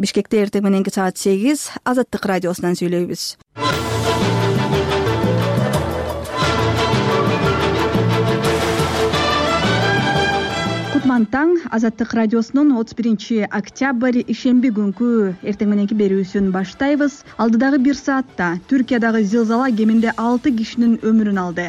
Бишкекте эртең мененки саат 8 Азаттык радиосунан сүйлөйбүз. Кутман таң. Азаттык радиосунун 31 октябрь ишемби күнкү эртең мененки берүүсүн баштайбыз. Алдыдагы 1 саатта Түркиядагы зилзала кеминде 6 кишинин өмүрүн алды.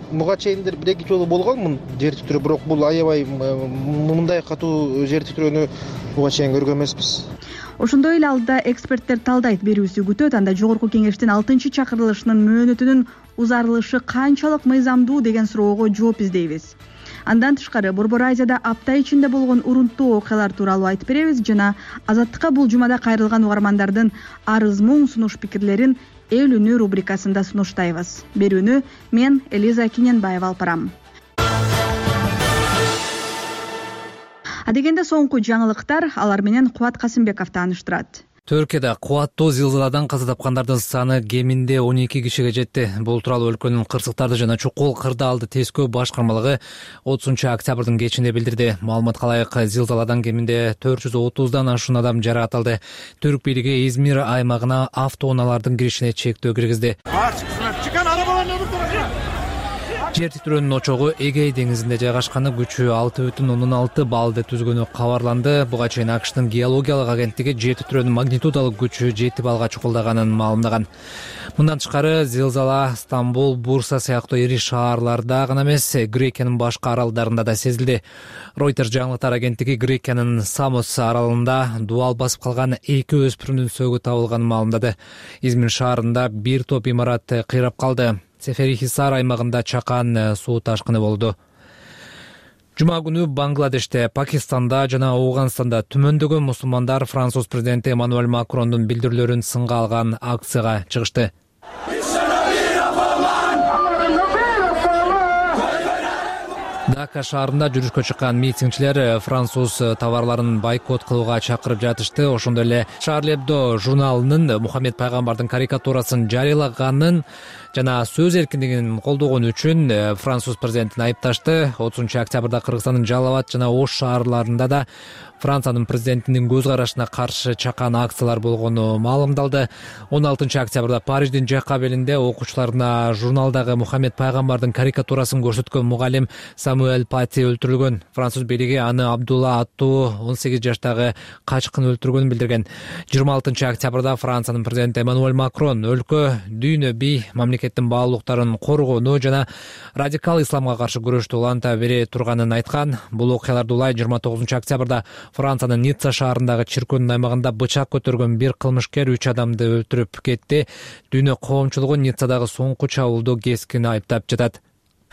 Буга чейин 1-2 жолу болгонмун жер титирөө, бирок бул аябай мындай катуу жер титирөөнү буга чейин көргөн эмеспиз. Ошондой эле алдыда эксперттер талдайт берүүсү күтөт. Анда жогорку кеңештин 6-чакырылышынын мөөнөтүнүн узарылышы канчалык мыйзамдуу деген суроого жооп издейбиз. Андан тышкары Борбор Азияда апта ичинде болгон урунттуу окуялар тууралуу айтып беребиз жана Азаттыкка бул жумада кайрылган угармандардын арыз-муң, сунуш пикирлерин эл үнү рубрикасында сунуштайбыз. Берүүнү мен Элиза Киненбаева алып барам. Адегенде соңку жаңылыктар, алар менен Кубат Касымбеков тааныштырат. Түркияда кубаттуу зилзаладан каза тапкандардын саны кеминде 12 кишиге жетти. Бул тууралуу өлкөнүн кырсыктарды жана чукул кырдаалды тескөө башкармалыгы 30 октябрдын кечинде билдирди. Маалыматка ылайык, зилзаладан кеминде 430дан ашуун адам жаракат. Түрк бийлиги Измир аймагына автоунаалардын киришине чектөө киргизди. Жер титирөөнүн очогу Эгей деңизинде жайгашканы, күчү 6,6 баллды түзгөнү кабарланды. Буга чейин АКШтын геологиялык агенттиги жер титирөөнүн магнитудалык күчү 7 баллга чукулдаганын маалымдаган. Мындан тышкары зилзала Стамбул, Бурса сыяктуу ири шаарларда гана эмес, Грекиянын башка аралдарында да сезилди. Reuters жаңылыктар агенттиги Грекиянын Самос аралында дубал басып калган 2 өспүрүмдүн сөөгү табылганын маалымдады. Измир шаарында бир топ имарат кыйрап калды. Сеферихисар аймагында чакан суу ташкыны болду. Жума күнү Бангладеште, Пакистанда жана Ауганстанда түмөндөгөн мусулмандар Француз президенти Эммануэль Макрондун билдирүүлөрүн сынга алган акцияга чыгышты. Дака шаарында жүрүшкө чыккан митингчилер француз товарларын бойкот кылууга чакырып жатышты. Ошондой эле Charlie Hebdo журналынын Мухаммед пайгамбардын карикатурасын жарыялаганын жана сөз эркиндигин колдогон үчүн француз президентин айыпташты. 30 октябрда Кыргызстандын Жалал Абад жана Ош шаарларында да Франциянын президентинин көз карашына каршы чакан акциялар болгону маалымдалды. 16 октябрда Париждин Жакабелинде окуучуларына журналдагы Мухаммед пайгамбардын карикатурасын көрсөткөн мугалим Самуэль Пати өлтүрүлгөн. Француз бийлиги аны Абдулла аттуу 18 жаштагы качкын өлтүргөнүн билдирген. 26 октябрда Франциянын президенти Эммануэль Макрон өлкө, дүйнө, бий мамлекеттин баалуулуктарын коргоону жана радикал исламга каршы күрөштү уланта бере турганын айткан. Бул окуяларды улай 29 октябрда Франциянын Ницца шаарындагы чиркөөнүн аймагында бычак көтөргөн бир кылмышкер 3 адамды өлтүрүп кетти. Дүйнө коомчулугу Ниццадагы соңку чабуулду кескин айыптап жатат.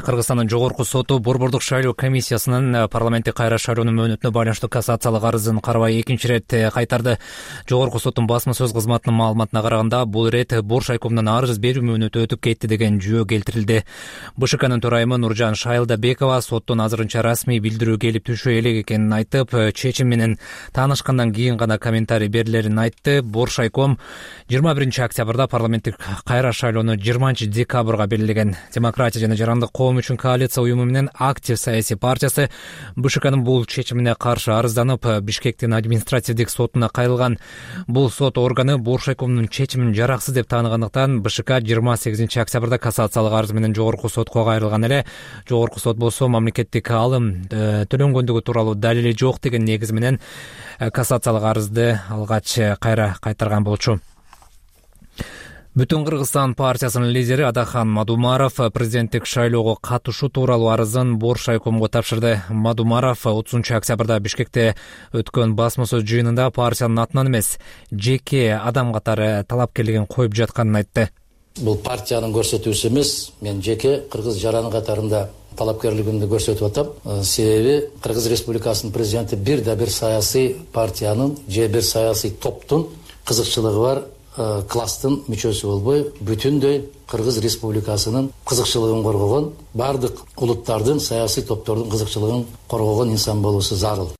Кыргызстандын жогорку соту Борбордук шайлоо комиссиясынын парламенттик кайра шайлоонун мөөнөтүнө байланыштуу кассациялык арызын карабай 2 ирет кайтарды. Жогорку соттун басма сөз кызматынын маалыматына караганда, бул ирет Бош айкомунан арыз берүү мөөнөтү өтүп кетти деген жүйө келтирилди. БШКнын төрайымы Нуржан Шайлдабекова соттун азырынча расмий билдирүү келип түшө элек экенин айтып, чечим менен таанышкандан кийин гана комментарий берилерин айтты. Бош айком 21 октябрда парламенттик кайра шайлоону 20 декабрга белгилеген. Демократия жана жарандык коом үчүн коалиция уюму менен Актив саясий партиясы БШКнын бул чечимине каршы арызданып, Бишкектин административдик сотуна кайрылган. Бул сот органы Бош айкомунун чечимин жараксыз деп тааныгандыктан БШК 28 октябрда кассациялык арыз менен жогорку сотко кайрылган эле. Жогорку сот болсо мамлекеттик алым төлөнгөндүгү тууралуу далили жок деген негиз менен кассациялык арызды алгач кайра кайтарган болчу. Бүтүн Кыргызстан партиясынын лидери Адахан Мадумаров президенттик шайлоого катышуу тууралуу арызын Бош айкомго тапшырды. Мадумаров 30 октябрда Бишкекте өткөн басма сөз жыйынында партиянын атынан эмес, жеке адам катары талапкерлигин коюп жатканын айтты. Бул партиянын көрсөтүүсү эмес, мен жеке кыргыз жараны катарында талапкерлигимди көрсөтүп атам. Себеби Кыргыз Республикасынын президенти бир да бир саясий партиянын же бир саясий топтун кызыкчылыгы бар класстын мүчөсү болбой, бүтүндөй Кыргыз Республикасынын кызыкчылыгын коргогон, бардык улуттардын саясий топтордун кызыкчылыгын коргогон инсан болуусу зарыл.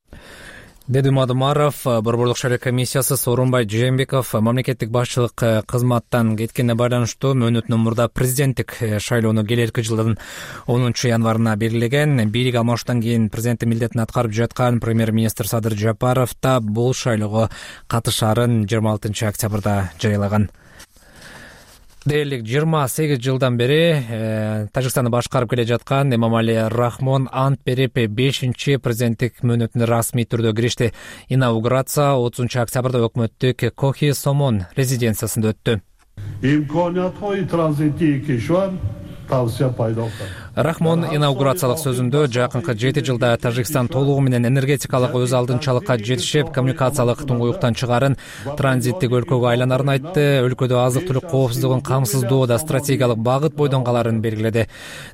деди Мадумаров. Борбордук шайлоо комиссиясы Сооронбай Жээнбеков мамлекеттик башчылык кызматтан кеткенине байланыштуу мөөнөтүнөн мурда президенттик шайлоону келерки жылдын 10 январына белгилеген. Бийлик алмашуудан кийин президенттик милдетин аткарып жаткан премьер-министр Садыр Жапаров да бул шайлоого катышаарын 26 октябрда жарыялаган. Дээрлик 28 жылдан бери Тажикстанды башкарып келе жаткан Эмомали Рахмон ант берип 5-чи президенттик мөөнөтүнө расмий түрдө киришти. Инаугурация 30 октябрда өкмөттүк Кохи Сомон резиденциясында өттү. имкониятҳои транзитии кишвар тавсия пайдо кард. Рахмон инаугурациялык сөзүндө жакынкы 7 жылда Тажикстан толугу менен энергетикалык өз алдынчалыкка жетишип, коммуникациялык туңгуюктан чыгарын, транзиттик өлкөгө айланарын айтты. Өлкөдө азык-түлүк коопсуздугун камсыздоодо стратегиялык багыт бойдон каларын белгиледи.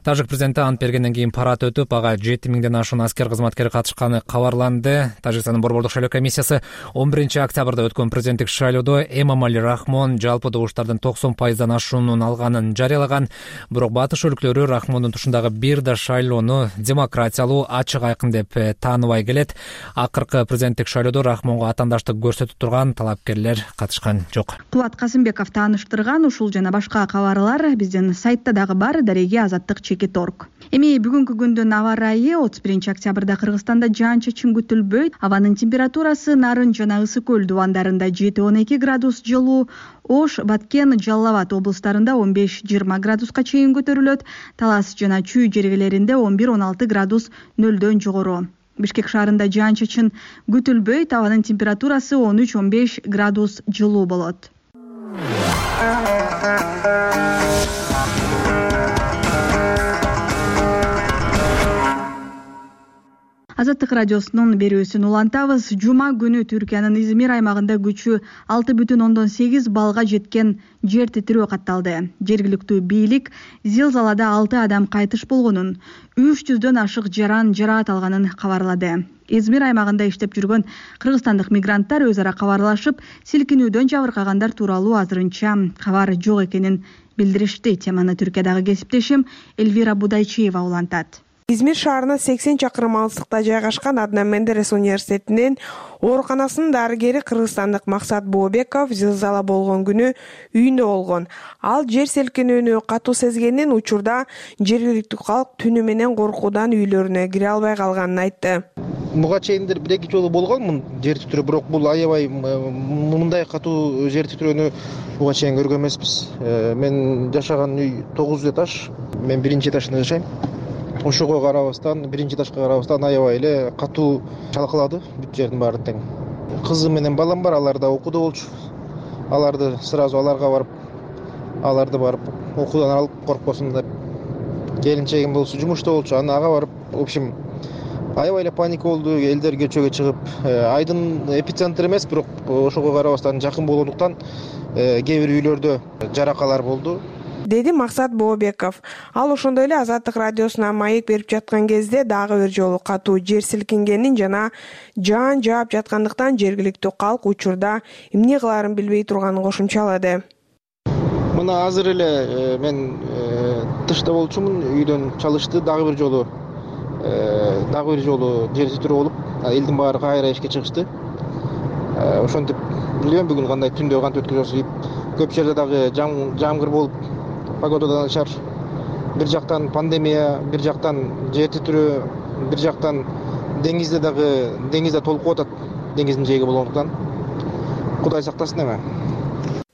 Тажик президенти ант бергенден кийин парад өтүп, ага 7000ден ашуун аскер кызматкери катышканы кабарланды. Тажикстандын борбордук шайлоо комиссиясы 11 октябрда өткөн президенттик шайлоодо Эмомали Рахмон жалпы добуштардын 90% ашуунун алганын жарыялаган. Бирок батыш өлкөлөрү Рахмондун тушундагы бир да шайлоону демократиялуу, ачык, айкын деп тааныбай келет. Акыркы президенттик шайлоодо Рахмонго атаандаштык көрсөтүп турган талапкерлер катышкан жок. Кубат Касымбеков тааныштырган ушул жана башка кабарлар биздин сайтта дагы бар. Дареги azаттык.org. Эми бүгүнкү күндүн аба ырайы 31 октябрда Кыргызстанда жаан-чачын күтүлбөйт. Абанын температурасы Нарын жана Ысык көл дубандарында 7-12 градус жылуу, Ош, Баткен, Жалал Абад облустарында 15-20 градуска чейин көтөрүлөт. Талас жана Чүй жергелеринде 11-16 градус нөлдөн жогору. Бишкек шаарында жаан-чачын күтүлбөйт. Абанын температурасы 13-15 градус жылуу болот. Азаттык радиосунун берүүсүн улантабыз. Жума күнү Түркиянын Измир аймагында күчү 6,8 балга жеткен жер титирөө катталды. Жергиликтүү бийлик зилзалада 6 адам кайтыш болгонун, 300дөн ашык жараат алганын кабарлады. Измир аймагында иштеп жүргөн кыргызстандык мигранттар өз ара кабарлашып, силкинүүдөн жабыркагандар тууралуу азырынча кабар жок экенин билдиришти. Теманы Түркиядагы кесиптешим Эльвира Будайчиева улантат. Измир шаарына 80 чакырым алыстыкта жайгашкан Аднан Менделес университетинин ооруканасынын дарыгери кыргызстандык Максат Бообеков зилзала болгон күнү үйүндө болгон. Ал жер селкинүүнү катуу сезгенин, учурда жергиликтүү калк түнү менен коркуудан үйлөрүнө кире албай калганын айтты. Буга чейиндер 1-2 жолу болгонмун жер титирөө, бирок бул аябай мындай катуу жер титирөөнү буга чейин көргөн эмеспиз. Мен жашаган үй 9 этаж, мен 1-этажда жашайм. Ошого карабастан, 1-этажга карабастан аябай эле катуу чалкалады бүт жердин баары тең. Кызым менен балам бар, алар да окууда болчу. Аларды сразу аларга барып, аларды барып окуудан алып коркпосун деп. Келинчегим болсо жумушта болчу, ага барып, в общем, аябай эле паника болду, элдер көчөгө чыгып, айдын эпицентр эмес, бирок ошого карабастан жакын болгондуктан кээ бир үйлөрдө жаракалар болду, деди Максат Бообеков. Ал ошондой эле Азаттык радиосуна маек берип жаткан кезде дагы бир жолу катуу жер силкингенин жана жаан жаап жаткандыктан жергиликтүү калк учурда эмне кылаарын билбей турганын кошумчалады. Мына азыр эле мен тышта болчумун, үйдөн чалышты, дагы бир жолу жер титирөө болуп, элдин баары кайра ишке чыгышты. Ошентип билбейм бүгүн кандай түндө кантип өткөзөбүз. Көп жерде дагы жамгыр болуп, погодадан начар. Бир жактан пандемия, бир жактан жер титирөө, бир жактан деңизде толкуп атат, деңиздин жээги болгондуктан. Кудай сактасын эме.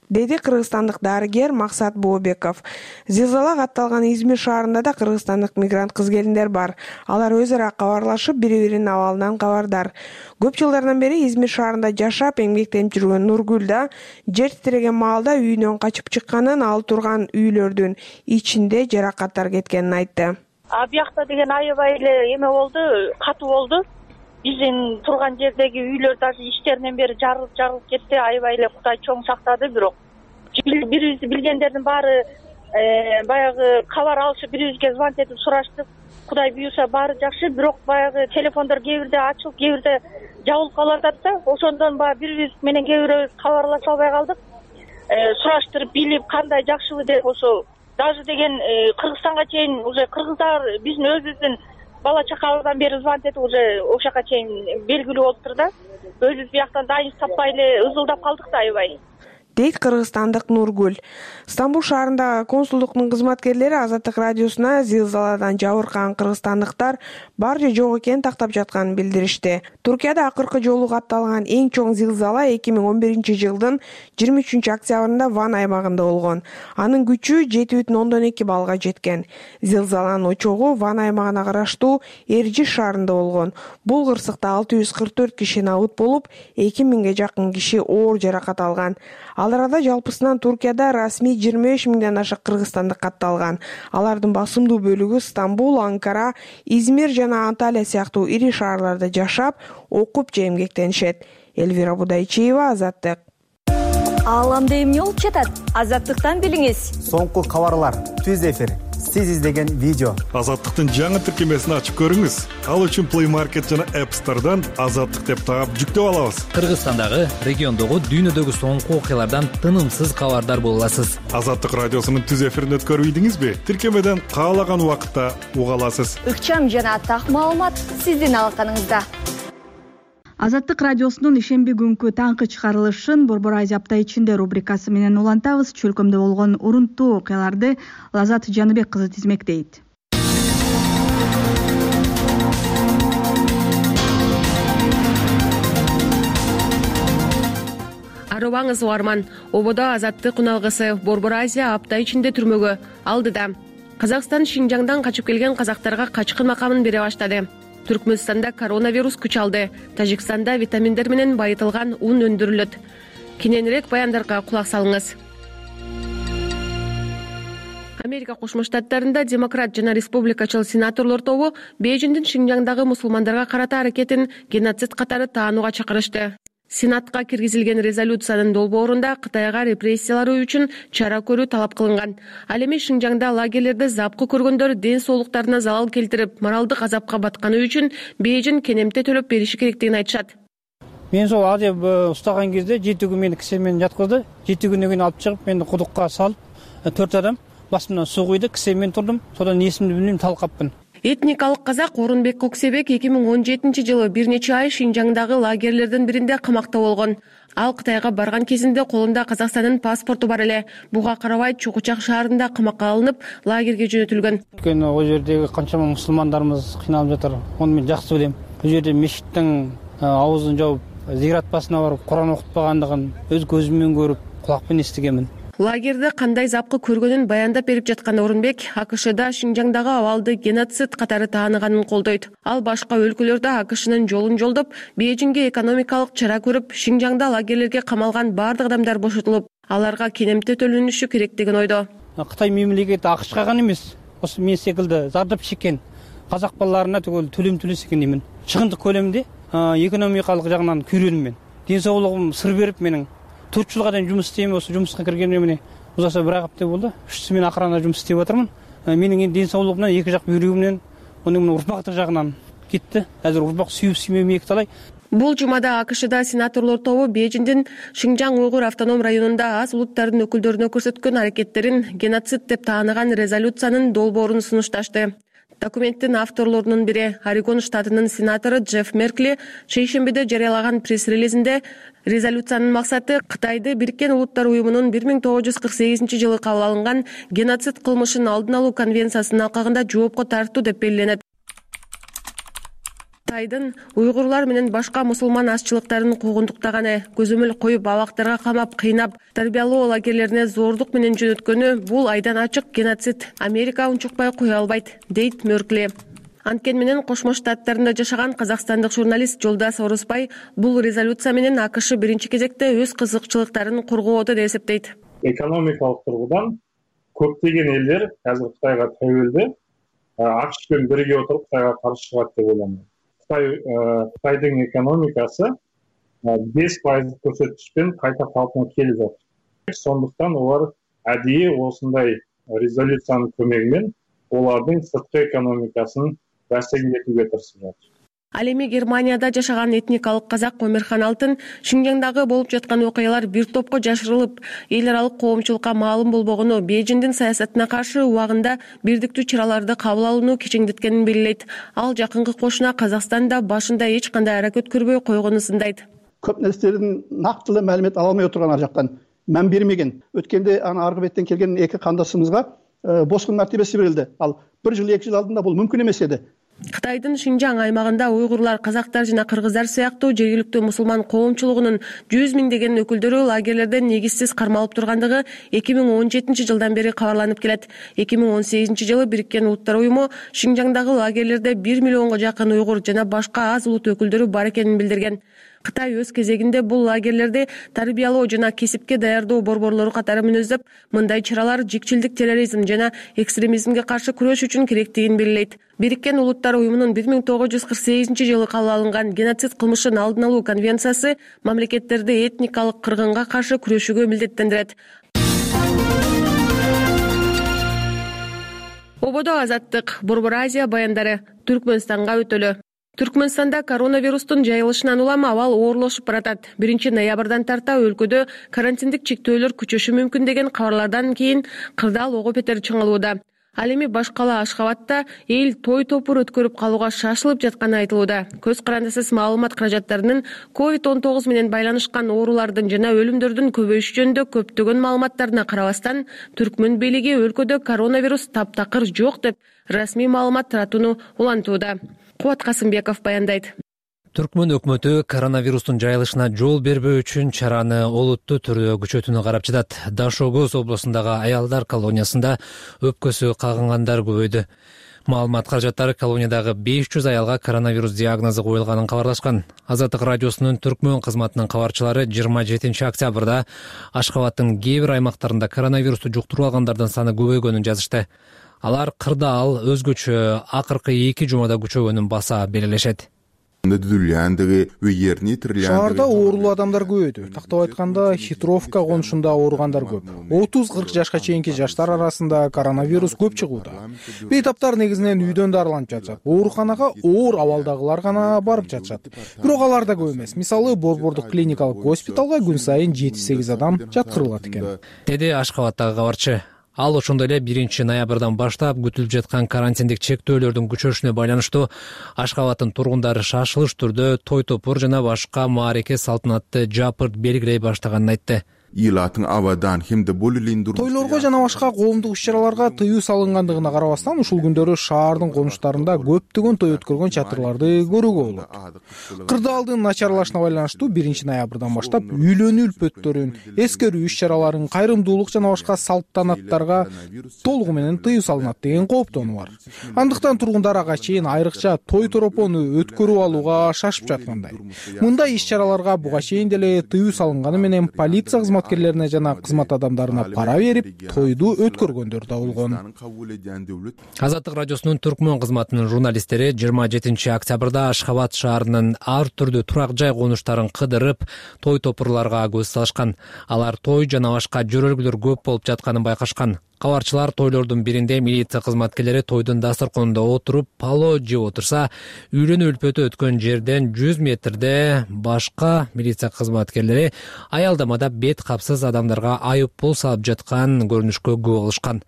Деди кыргызстандык дарыгер Максат Бообеков. Зилзала катталган Измир шаарында да кыргызстандык мигрант кыз-келиндер бар. Алар өз ара кабарлашып, бири-биринин абалынан кабардар. Көп жылдардан бери Измир шаарында жашап, эмгектенип жүргөн Нургүл да жер титиреген маалда үйүнөн качып чыкканын, ал турган үйлөрдүн ичинде жаракаттар кеткенин айтты. Биякта деген аябай эле эме болду, катуу болду. Биздин турган жердеги үйлөр даже ичтеринен бери жарылып кетти. Аябай эле Кудай чоң сактады, бирок бирибизди билгендердин баары баягы кабар алышып, бирибизге звонок этип сураштык. Кудай буюрса баары жакшы, бирок баягы телефондор кээ бирде ачылып, кээ бирде жабылып калып атат да. Ошондон баягы бирибиз менен кээ бирөөбүз кабарлаша албай калдык. Сураштырып билип кандай жакшыбы деп, ошо даже деген Кыргызстанга чейин уже кыргыздар биздин өзүбүздүн бала чакабыздан бери звонить этип уже ошол жака чейин белгилүү болуптур да. Өзүбүз бияктан дайынчы таппай эле ызылдап калдык да аябай, дейт кыргызстандык Нургүл. Стамбул шаарындагы консулдуктун кызматкерлери Азаттык радиосуна зилзаладан жабыркаган кыргызстандыктар бар же жок экенин тактап жатканын билдиришти. Туркияда акыркы жолу катталган эң чоң зилзала 2011-жылдын 23-октябрында Ван аймагында болгон. Анын күчү 7,2 баллга жеткен. Зилзаланын очогу Ван аймагына караштуу Эржиш шаарында болгон. Бул кырсыкта 644 киши набыт болуп, 2000ге жакын киши оор жаракат алган. Ал арада жалпысынан Туркияда расмий 25 миңден ашык кыргызстандык катталган. Алардын басымдуу бөлүгү Стамбул, Анкара, Измир жана Анталия сыяктуу ири шаарларда жашап, окуп же эмгектенишет. Элвира Будайчиева, Азаттык. Ааламда эмне болуп жатат? Азаттыктан билиңиз. Соңку кабарлар, түз эфир, сиз издеген видео. Азаттыктын жаңы тиркемесин ачып көрүңүз. Ал үчүн Play Market жана App Store'дан Азаттык деп таап жүктөп алабыз. Кыргызстандагы, региондогу, дүйнөдөгү соңку окуялардан тынымсыз кабардар боло аласыз. Азаттык радиосунун түз эфирин өткөрүбүйдүңүзбү? Тиркемеден каалаган убакытта уга аласыз. Ыкчам жана так маалымат сиздин алаканыңызда. Азаттык радиосунун ишемби күнкү таңкы чыгарылышын Борбор Азия апта ичинде рубрикасы менен улантабыз. Чөлкөмдө болгон урунттуу окуяларды Лазат Жаныбек кызы тизмектейт. Арыбаңыз угарман, ободо Азаттык уналгысы Борбор Азия апта ичинде түрмөгө алдыда. Казакстан Шинжаңдан качып келген казактарга качкын макамын бере баштады. Түркмөнстанда коронавирус күч алды. Тажикстанда витаминдер менен байытылган ун өндүрүлөт. Кененирээк баяндарга кулак салыңыз. Америка Кошмо Штаттарында демократ жана республикачыл сенаторлор тобу Бейжиңдин Шинжаңдагы мусулмандарга карата аракетин геноцид катары таанууга чакырышты. Сенатка киргизилген резолюциянын долбоорунда Кытайга репрессиялары үчүн чара көрүү талап кылынган. Ал эми Шинжаңда лагерлерде запкы көргөндөр ден соолуктарына залал келтирип, моралдык азапка батканы үчүн Бейжиң кенемте төлөп бериши керектигин айтышат. Мен сол адеп устаган кезде 7 күн мени кисемен жаткызды. 7 күндөн кийин алып чыгып, мени кудукка салып, 4 адам басымдан суу куйду, кисемен турдум. Содан эсимди билбейм, талкаппын. Этникалык казак Орунбек Коксебек 2017-жылы бир нече ай Шинжаңдагы лагерлердин биринде камакта болгон. Ал Кытайга барган кезинде колунда Казакстандын паспорту бар эле. Буга карабай Чукучак шаарында камакка алынып, лагерге жөнөтүлгөн. Өйткөнү ал жердеги канчама мусулмандарыбыз кыйналып жатыр. Аны мен жакшы билем. Бул жерде мешиттин аузун жауып, зират басына барып, Куран окутпагандыгын өз көзүм менен көрүп, кулакпен эстегенмин. Лагерде кандай запкы көргөнүн баяндап берип жаткан Орунбек АКШда Шинжаңдагы абалды геноцид катары тааныганын колдойт. Ал башка өлкөлөрдө АКШнын жолун жолдоп, Бейжиңге экономикалык чара көрүп, Шинжаңда лагерлерге камалган бардык адамдар бошотулуп, аларга кенемте төлөнүшү керек деген ойдо. Кытай мемлекети АКШга гана эмес, ошо мен секилди зардап чеккен казак балдарына түгөл төлөм төлөсө экен деймин. Чыгындык көлөмдө экономикалык жагынан күйрөнүм мен. Ден соолугум сыр берип, менин 4 жылга чейин жумуш истейм, ошо жумушка киргениме мени узаса 1 апта болду. 3 мен акырана жумуш иштеп атырмын. Менин ден соолугум менен эки жак бүйрөгүм менен, онун урпактык жагынан кетти. Азыр урпак сүйүп талай. Бул жумада АКШда сенаторлор тобу Бейжиңдин Шинжаң уйгур автоном районунда аз улуттардын өкүлдөрүнө көрсөткөн аракеттерин геноцид деп тааныган резолюциянын долбоорун сунушташты. Документтин авторлорунун бири Орегон штатынын сенатору Джефф Меркли шейшембиде жарыялаган пресс-релизинде резолюциянын максаты Кытайды Бириккен Улуттар уюмунун 1948-жылы кабыл алынган геноцид кылмышын алдын алуу конвенциясынын алкагында жоопко тартуу деп белгиленет. Кытайдын уйгурлар менен башка мусулман азчылыктарын куугунтуктаганы, көзөмөл коюп, абактарга камап, кыйнап, тарбиялоо лагерлерине зордук менен жөнөткөнү бул айдан ачык геноцид. Америка унчукпай кое албайт, дейт Меркли. Анткени менен Кошмо Штаттарында жашаган казакстандык журналист Жолдас Орусбай бул резолюция менен АКШ биринчи кезекте өз кызыкчылыктарын коргоодо деп эсептейт. Экономикалык тургудан көптөгөн элдер азыр Кытайга тәуелди. АКШ менен бирге отуруп Кытайга каршы чыгат деп ойлойм. Кытайдын экономикасы 5% көрсөткүчпен кайта калпына келип жатыр. Сондуктан олар адийи осундай резолюциянын көмөгү менен олардын сырткы экономикасын бәсекелетүүгө тырышып жатыр. Ал эми Германияда жашаган этникалык казак Омерхан Алтын Шинжаңдагы болуп жаткан окуялар бир топко жашырылып, эл аралык коомчулукка маалым болбогону, Бейжиңдин саясатына каршы убагында бирдиктүү чараларды кабыл алууну кечеңдеткенин белгилейт. Ал жакынкы кошуна Казакстанда башында эч кандай аракет көрбөй койгонун сындайт. Көп нерселердин нактылуу маалымат ала албай отурган ар жактан мән бермеген. Өткөндө аркы беттен келген эки кандашыбызга босқын мәртебеси берилди. Ал 1 жыл 2 жыл алдында бул мүмкүн эмес эди. Кытайдын Шинжаң аймагында уйгурлар, казактар жана кыргыздар сыяктуу жергиликтүү мусулман коомчулугунун 100 миңдеген өкүлдөрү лагерлерден негизсиз кармалып тургандыгы 2017 жылдан бери кабарланып келет. 2018 жылы Бириккен Улуттар уюму Шинжаңдагы лагерлерде 1 миллионго жакын уйгур жана башка аз улут өкүлдөрү бар экенин билдирген. Кытай өз кезегинде бул лагерлерди тарбиялоо жана кесипке даярдоо борборлору катары мүнөздөп, мындай чаралар жикчилдик, терроризм жана экстремизмге каршы күрөш үчүн керектигин белгилейт. Бириккен Улуттар уюмунун 1948 жылы кабыл алынган геноцид кылмышын алдын алуу конвенциясы мамлекеттерди этникалык кыргынга каршы күрөшүүгө милдеттендирет. Ободо азаттык, Борбор Азия баяндары Түркмөнстанга өтөлү. Түркмөнстанда коронавирустун жайылышынан улам абал оорлошуп баратат. 1 ноябрдан тарта өлкөдө карантиндик чектөөлөр күчөшү мүмкүн деген кабарлардан кийин кырдаал ого бетер чыңалууда. Ал эми баш кала Ашхабадта эл той топур өткөрүп калууга шашылып жатканы айтылууда. Көз карандысыз маалымат каражаттарынын COVID-19 менен байланышкан оорулардын жана өлүмдөрдүн көбөйүшү жөнүндө көптөгөн маалыматтарына карабастан, Түркмөн бийлиги өлкөдө коронавирус таптакыр жок деп расмий маалымат таратууну улантууда. Кубат Касымбеков баяндайт. Түркмөн өкмөтү коронавирустун жайылышына жол бербөө үчүн чараны олуттуу түрдө күчөтүүнү карап жатат. Дашогоз облусундагы аялдар колониясында өпкөсү кагынгандар көбөйдү. Маалымат каражаттары колониядагы 500 аялга коронавирус диагнозу коюлганын кабарлашкан. Азаттык радиосунун Түркмөн кызматынын кабарчылары 27 октябрда Ашхабадтын кээ бир аймактарында коронавирусту жуктуруп алгандардын саны көбөйгөнүн жазышты. Алар кырдаал өзгөчө акыркы 2 жумада күчөгөнүн баса белгилешет. Шаарда оорулуу адамдар көбөйдү. Тактап айтканда, Хитровка конушунда ооругандар көп. 30-40 жашка чейинки жаштар арасында коронавирус көп чыгууда. Бейтаптар негизинен үйдөн дарыланып жатышат. Ооруканага оор абалдагылар гана барып жатышат. Бирок алар да көп эмес. Мисалы, Борбордук клиникалык госпиталга күн сайын 7-8 адам жаткырылат экен. Деди Ашхабадтагы кабарчы. Ал ошондой эле 1 ноябрдан баштап күтүлүп жаткан карантиндик чектөөлөрдүн күчөшүнө байланыштуу Ашхабадтын тургундары шашылыш түрдө той топур жана башка маареке салтанатты жапырт белгилей баштаганын айтты. Тойлорго жана башка коомдук иш-чараларга тыюу салынгандыгына карабастан, ушул күндөрү шаардын конуштарында көптөгөн той өткөргөн чатырларды көрүүгө болот. Кырдаалдын начарлашына байланыштуу 1 ноябрдан баштап үйлөнүү үлпөттөрүн, эскерүү иш-чараларын, кайрымдуулук жана башка салтанаттарга толугу менен тыюу салынат деген кооптонуу бар. Андыктан тургундар ага чейин айрыкча той торопону өткөрүп алууга шашып жаткандай. Мындай иш-чараларга буга чейин деле тыюу салынганы менен полиция кызматкерлерине жана кызмат адамдарына пара берип, тойду өткөргөндөр да болгон. Азаттык радиосунун Түркмөн кызматынын журналисттери 27 октябрда Ашхабад шаарынын ар түрдүү турак жай конуштарын кыдырып, той топурларга көз салышкан. Алар той жана башка жөрөлгүлөр көп болуп жатканын байкашкан. Кабарчылар тойлордун биринде милиция кызматкерлери тойдун дасторконунда отуруп, пало жеп отурса, үйлөнүү үлпөтү өткөн жерден 100 метрде башка милиция кызматкерлери аялдамада бет капсыз адамдарга айып пул салып жаткан көрүнүшкө күбө болушкан.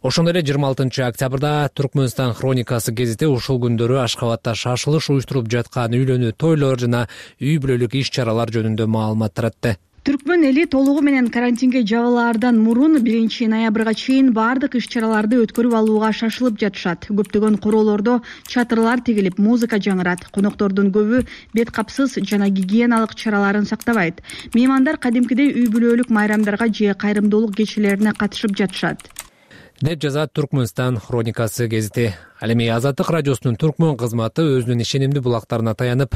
Ошондой эле 26 октябрда Түркмөнстан хроникасы гезити ушул күндөрү Ашхабадта шашылыш уюштуруп жаткан үйлөнүү тойлор жана үй бүлөлүк иш-чаралар жөнүндө маалымат таратты. Түркмөн эли толугу менен карантинге жабылаардан мурун 1 ноябрга чейин бардык иш-чараларды өткөрүп алууга шашылып жатышат. Көптөгөн короолордо чатырлар тигилип, музыка жаңырат. Коноктордун көбү бет капсыз жана гигиеналык чараларын сактабайт. Меймандар кадимкидей үй бүлөлүк майрамдарга же кайрымдуулук кечелерине катышып жатышат, деп жазат Түркмөнстан хроникасы гезити. Ал эми Азаттык радиосунун Түркмөн кызматы өзүнүн ишенимдүү булактарына таянып,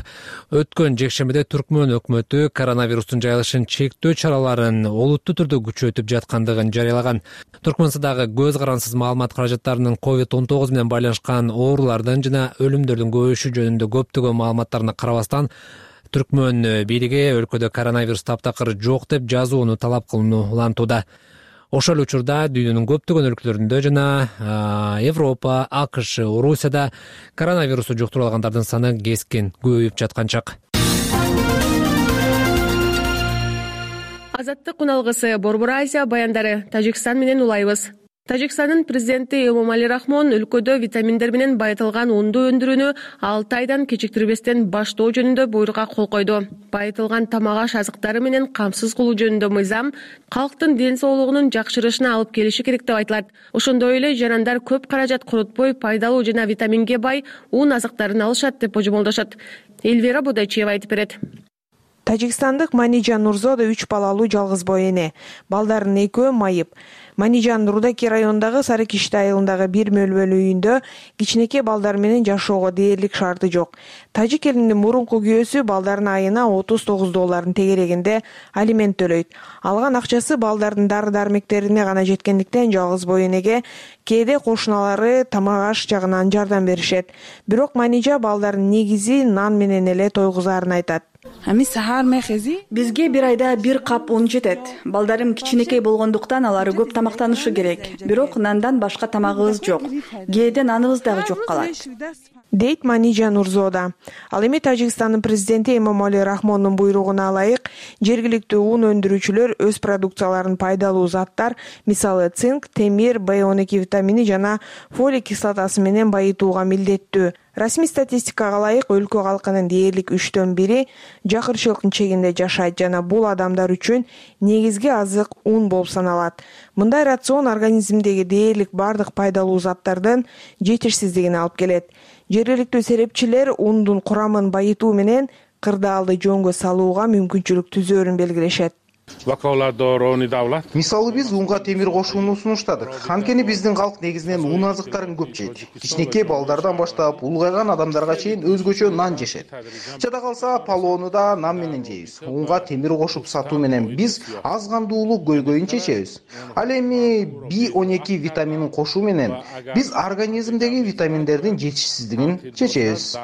өткөн жекшембиде Түркмөн өкмөтү коронавирустун жайылышын чектөө чараларын олуттуу түрдө күчөтүп жаткандыгын жарыялаган. Түркмөнстандагы көз карансыз маалымат каражаттарынын COVID-19 менен байланышкан оорулардын жана өлүмдөрдүн көбөйүшү жөнүндө көптөгөн маалыматтарына карабастан, Түркмөн бийлиги өлкөдө коронавирус таптакыр жок деп жазууну талап кылууну улантууда. Ошол учурда дүйнөнүн көптөгөн өлкөлөрүндө жана Европа, АКШ, Орусияда коронавирусту жуктуруп алгандардын саны кескин көбөйүп жаткан чак. Азаттык уналгысы Борбор Азия баяндары. Тажикстан менен улайбыз. Тажикстандын президенти Эмомали Рахмон өлкөдө витаминдер менен байытылган унду өндүрүүнү 6 айдан кечиктирбестен баштоо жөнүндө буйрукка кол койду. Байытылган тамак-аш азыктары менен камсыз кылуу жөнүндө мыйзам калктын ден соолугунун жакшырышына алып келиши керек деп айтылат. Ошондой эле жарандар көп каражат коротпой пайдалуу жана витаминге бай ун азыктарын алышат деп божомолдошот. Эльвира Бодайчиева айтып берет. Тажикстандык Манижан Нурзода 3 балалуу жалгыз бой эне. Балдарынын 2-өө майып. Манижан Рудаки районундагы Сарыкиште айылындагы бир мөлбөлүү үйүндө кичинекей балдар менен жашоого дээрлик шарты жок. Тажик элинин мурунку күйөөсү балдарына айына $39 тегерегинде алимент төлөйт. Алган акчасы балдардын дары-дармектерине гана жеткендиктен жалгыз бой энеге кээде кошуналары тамак-аш жагынан жардам беришет. Бирок Манижа балдардын негизи нан менен эле тойгузаарын айтат. Бизге бир айда бир кап ун жетет. Балдарым кичинекей болгондуктан алар көп тамактанышы керек. Бирок нандан башка тамагыбыз жок. Кээде наныбыз дагы жок калат. Дейт Манижа Нурзода. Ал эми Тажикстандын президенти Эмомали Рахмондун буйругуна ылайык жергиликтүү ун өндүрүүчүлөр өз продукцияларын пайдалуу заттар, мисалы цинк, темир, B12 витамини жана фолий кислотасы менен байытууга милдеттүү. Расмий статистикага ылайык өлкө калкынын дээрлик 1/3 жакырчылыктын чегинде жашайт жана бул адамдар үчүн негизги азык ун болуп саналат. Мындай рацион организмдеги дээрлик бардык пайдалуу заттардын жетишсиздигине алып келет. Жергиликтүү серепчилер ундун курамын байытуу менен кырдаалды жөнгө салууга мүмкүнчүлүк түзөөрүн белгилешет. Мисалы биз унга темир кошууну сунуштадык. Анткени биздин калк негизинен ун азыктарын көп жейт. Кичинекей балдардан баштап улгайган адамдарга чейин өзгөчө нан жешет. Жада калса палоону да нан менен жейбиз. Унга темир кошуп сатуу менен биз аз кандуулук көйгөйүн чечебиз. Ал эми B12 витаминин кошуу менен биз организмдеги витаминдердин жетишсиздигин чечебиз.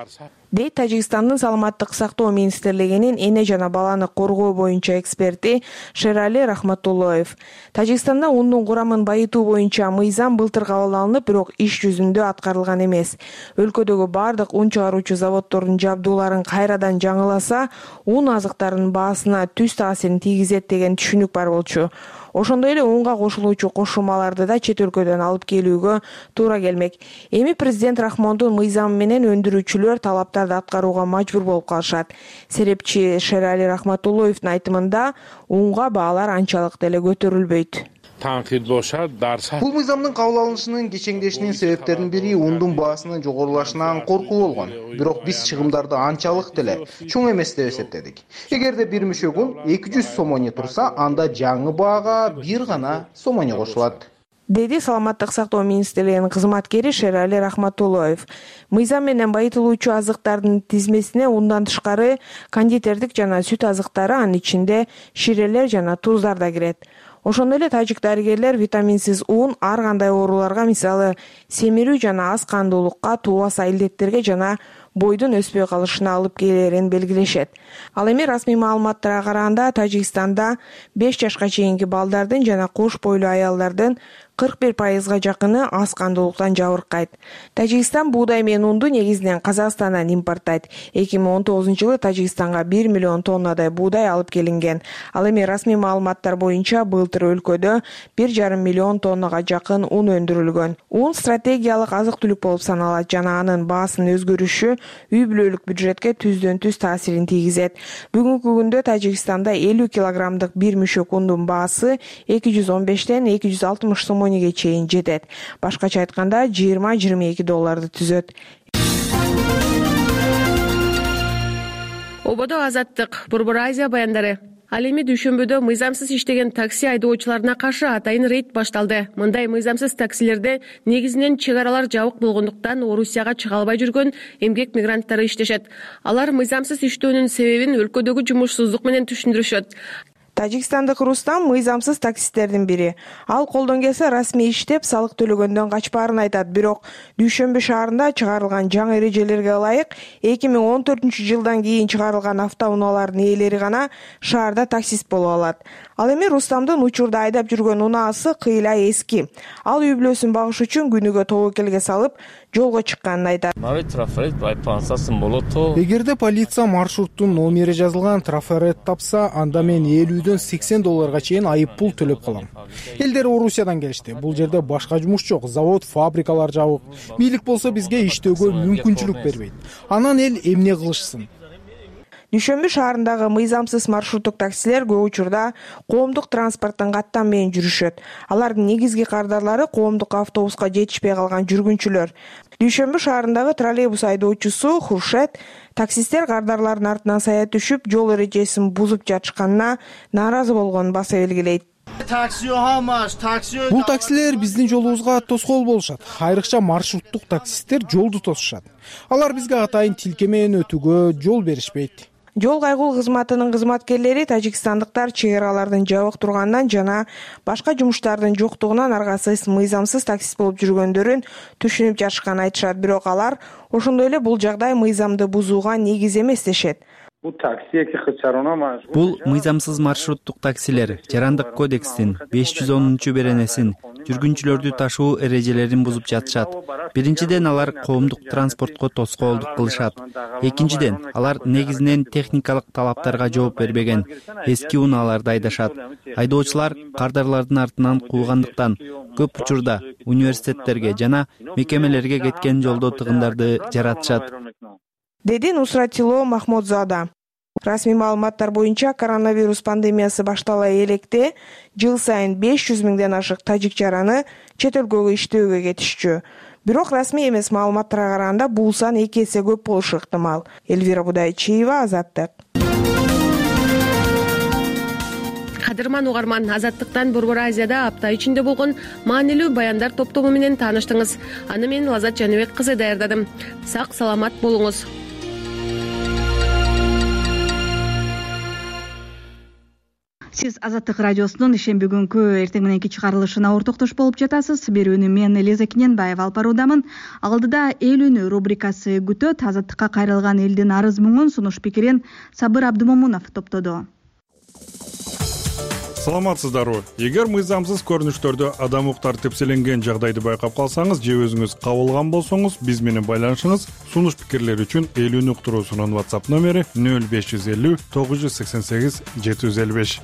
Дейт Тажикстандын саламаттык сактоо министрлигинин эне жана баланы коргоо боюнча эксперти Шерали Рахматуллоев. Тажикстанда ундун курамын байытуу боюнча мыйзам былтыр кабыл алынып, бирок иш жүзүндө аткарылган эмес. Өлкөдөгү бардык ун чыгаруучу заводдордун жабдууларын кайрадан жаңыласа, ун азыктарынын баасына түз таасирин тийгизет деген түшүнүк бар болчу. Ошондой эле унга кошулуучу кошумаларды да чет өлкөдөн алып келүүгө туура келмек. Эми президент Рахмондун мыйзамы менен өндүрүүчүлөр талаптарды аткарууга мажбур болуп калышат. Серепчи Шерали Рахматуллоевдун айтымында унга баалар анчалык деле көтөрүлбөйт. Бул мыйзамдын кабыл алынышынын кечеңдешинин себептеринин бири ундун баасынын жогорулашынан коркуу болгон. Бирок биз чыгымдарды анчалык деле чоң эмес деп эсептедик. Эгерде бир мүшөк ун 200 сомони турса, анда жаңы баага бир гана сомони кошулат. Деди саламаттык сактоо министрлигинин кызматкери Шерали Рахматуллоев. Мыйзам менен байытылуучу азыктардын тизмесине ундан тышкары кондитердик жана сүт азыктары, анын ичинде ширелер жана туздар да кирет. Ошондой эле тажик дарыгерлер витаминсиз ун ар кандай ооруларга, мисалы семирүү жана аз кандуулукка, туубаса илдеттерге жана бойдун өспөй калышына алып келерин белгилешет. Ал эми расмий маалыматтарга караганда Тажикстанда 5 жашка чейинки балдардын жана кош бойлуу аялдардын 41%га жакыны аз кандуулуктан жабыркайт. Тажикстан буудай менен унду негизинен Казакстандан импорттайт. 2019-жылы Тажикстанга 1 миллион тоннадай буудай алып келинген. Ал эми расмий маалыматтар боюнча былтыр өлкөдө 1,5 миллион тоннага жакын ун өндүрүлгөн. Ун стратегиялык азык-түлүк болуп саналат жана анын баасынын өзгөрүшү үй бүлөлүк бюджетке түздөн-түз таасирин тийгизет. Бүгүнкү күндө Тажикстанда 50 килограммдык бир мүшөк ундун баасы $215 $260 сомониге чейин жетет. Башкача айтканда $20-22 түзөт. Ободо Азаттык, Борбор Азия баяндары. Ал эми дүйшөмбүдө мыйзамсыз иштеген такси айдоочуларына каршы атайын рейд башталды. Мындай мыйзамсыз таксилерде негизинен чек аралар жабык болгондуктан Орусияга чыга албай жүргөн эмгек мигранттары иштешет. Алар мыйзамсыз иштөөнүн себебин өлкөдөгү жумушсуздук менен түшүндүрүшөт. Тажикстандык Рустам мыйзамсыз таксисттердин бири. Ал колдон келсе расмий иштеп, салык төлөгөндөн качпаарын айтат. Бирок Дүйшөмбү шаарында чыгарылган жаңы эрежелерге ылайык 2014-жылдан кийин чыгарылган автоунаалардын ээлери гана шаарда таксист боло алат. Ал эми Рустамдын учурда айдап жүргөн унаасы кыйла эски. Ал үй бүлөсүн багыш үчүн күнүгө тобокелге салып, жолго чыкканын айтат. Эгерде полиция маршруттун номери жазылган трафарет тапса, анда мен $50-80 чейин айып пул төлөп калам. Элдер Орусиядан келишти. Бул жерде башка жумуш жок, завод, фабрикалар жабык. Бийлик болсо бизге иштөөгө мүмкүнчүлүк бербейт. Анан эл эмне кылышсын? Дүйшөмбү шаарындагы мыйзамсыз маршруттук таксилер көп учурда коомдук транспорттун каттан менен жүрүшөт. Алардын негизги кардарлары коомдук автобуска жетишпей калган жүргүнчүлөр. Дүйшөмбү шаарындагы троллейбус айдоочусу Хуршет таксисттер кардарлардын артынан сая түшүп, жол эрежесин бузуп жатышканына нааразы болгонун баса белгилейт. Бул таксилер биздин жолубузга тоскоол болушат. Айрыкча маршруттук таксисттер жолду тосушат. Алар бизге атайын тилке менен өтүүгө жол беришпейт. Жол кайгул кызматынын кызматкерлери тажикстандыктар чек аралардын жабык турганынан жана башка жумуштардын жоктугунан аргасыз мыйзамсыз таксист болуп жүргөндөрүн түшүнүп жатышканын айтышат. Бирок алар ошондой эле бул жагдай мыйзамды бузууга негиз эмес дешет. Бул мыйзамсыз маршруттук таксилер Жарандык кодекстин 510-беренесин жүргүнчүлөрдү ташуу эрежелерин бузуп жатышат. Биринчиден, алар коомдук транспортко тоскоолдук кылышат. Экинчиден, алар негизинен техникалык талаптарга жооп бербеген эски унааларды айдашат. Айдоочулар кардарлардын артынан куугандыктан көп учурда университеттерге жана мекемелерге кеткен жолдо тыгындарды жаратышат, деди Нусратило Махмудзада. Расмий маалыматтар боюнча коронавирус пандемиясы баштала электе жыл сайын 500 миңден ашык тажик жараны чет өлкөгө иштөөгө кетишчү. Бирок расмий эмес маалыматтарга караганда бул сан 2 эсе көп болушу ыктымал. Элвира Будайчиева, Азаттык. Кадырман угарман, Азаттыктан Борбор Азияда апта ичинде болгон маанилүү баяндар топтому менен тааныштыңыз. Аны мен Лазат Жаныбек кызы даярдадым. Сак саламат болуңуз. Сиз Азаттык радиосунун ишемби күнкү эртең мененки чыгарылышына ортоктош болуп жатасыз. Берүүнү мен Элиза Кененбаева алып баруудамын. Алдыда эл үнү рубрикасы күтөт. Азаттыкка кайрылган элдин арыз муңун сунуш пикирин Сабыр Абдымомунов топтоду. Саламатсыздарбы? Эгер мыйзамсыз көрүнүштөрдө адам укуктары тепселенген жагдайды байкап калсаңыз же өзүңүз кабылган болсоңуз, биз менен байланышыңыз. Сунуш пикирлер үчүн эл үнү уктуруусунун WhatsApp номери 0550 988 755.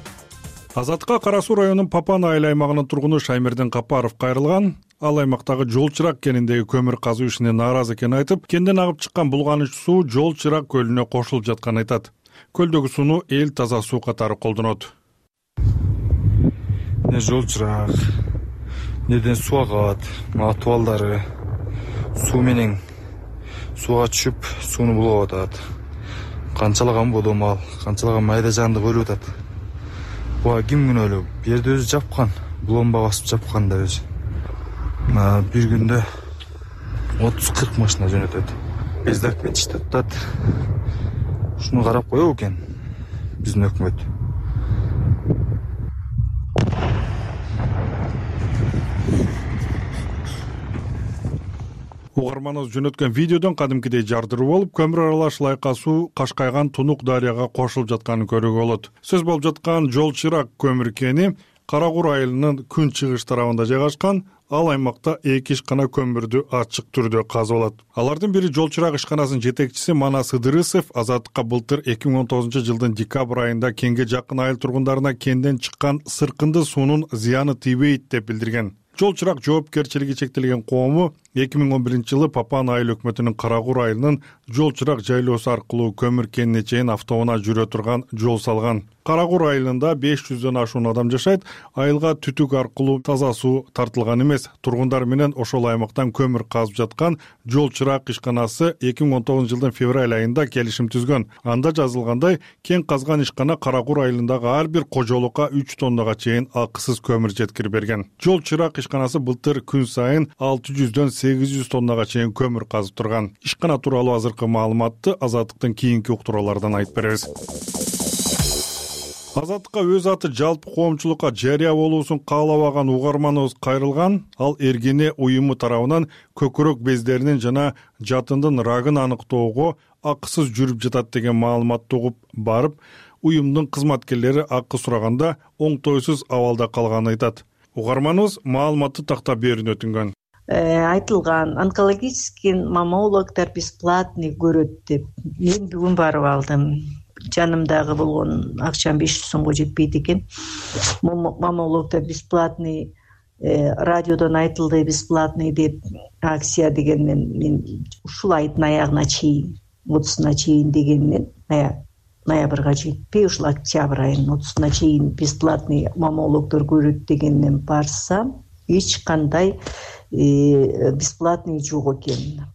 Азаттыкка Кара Суу районунун Папан айыл аймагынын тургуну Шаймердин Капаров кайрылган. Ал аймактагы жол чырак кениндеги көмүр казуу ишине нааразы экенин айтып, кенден агып чыккан булганыч суу жол чырак көлүнө кошулуп жатканын айтат. Көлдөгү сууну эл таза суу катары колдонот. Не жол чырак, неден суу агат, атып балдары суу менен сууга түшүп, сууну булап атат. Канчалаган бодомал, канчалаган майда жанды өлүп атат. Буга ким күнөөлүү? Бу жерде өзү жапкан, булонба басып жапкан да өзү. Бир күндө 30-40 машина жөнөтөт. Бездак кетиштеп атат. Ушуну карап коебу экен биздин өкмөт. Угарманыбыз жөнөткөн видеодон кадимкидей жардыруу болуп, көмүр аралаш лайка суу Кашкайган Тунук дарыяга кошулуп жатканын көрүүгө болот. Сөз болуп жаткан жол чырак көмүр кени Карагур айылынын күн чыгыш тарабында жайгашкан. Ал аймакта 2 ишкана көмүрдү ачык түрдө казып алат. Алардын бири жол чырак ишканасынын жетекчиси Манас Ыдырысов Азаттыкка былтыр 2019-жылдын декабрь айында кенге жакын айыл тургундарына кенден чыккан сыркынды суунун зыяны тийбейт деп билдирген. Жол чырак жоопкерчилиги чектелген коому 2011-жылы Папан айыл өкмөтүнүн Карагур айылынын жол чырак жайлоосу аркылуу көмүр кенине чейин автоунаа жүрө турган жол салган. Карагур айылында 500дөн ашуун адам жашайт. Айылга түтүк аркылуу таза суу тартылган эмес. Тургундар менен ошол аймактан көмүр казып жаткан жол чырак ишканасы 2019-жылдын февраль айында келишим түзгөн. Анда жазылгандай, кен казган ишкана Карагур айылындагы ар бир кожолукка 3 тоннага чейин акысыз көмүр жеткирип берген. Жол чырак ишканасы былтыр күн сайын 600дөн 800 тоннага чейин көмүр казып турган. Ишкана тууралуу азыркы маалыматты Азаттыктын кийинки уктуруулардан айтып беребиз. Азаттыкка өз аты жалпы коомчулукка жарыя болуусун каалабаган угарманыбыз кайрылган. Ал Эргене уюму тарабынан көкүрөк бездеринин жана жатындын рагын аныктоого акысыз жүрүп жатат деген маалыматты угуп барып, уюмдун кызматкерлери акы сураганда оңтойсуз абалда калганын айтат. Угарманыбыз маалыматты тактап берүүнү өтүнгөн. Айтылган онкологический маммологдор бесплатный көрөт деп мен бүгүн барып алдым. Жанымдагы болгон акчам 500 сомго жетпейт экен. Маммологдор бесплатный, радиодон айтылды бесплатный деп акция дегенмен мен ушул айдын аягына чейин 30-на чейин дегенмен ноябрга жетпей ушул октябрь айынын 30-на чейин бесплатный маммологдор көрөт дегеннен барсам эч кандай бесплатный жок экен.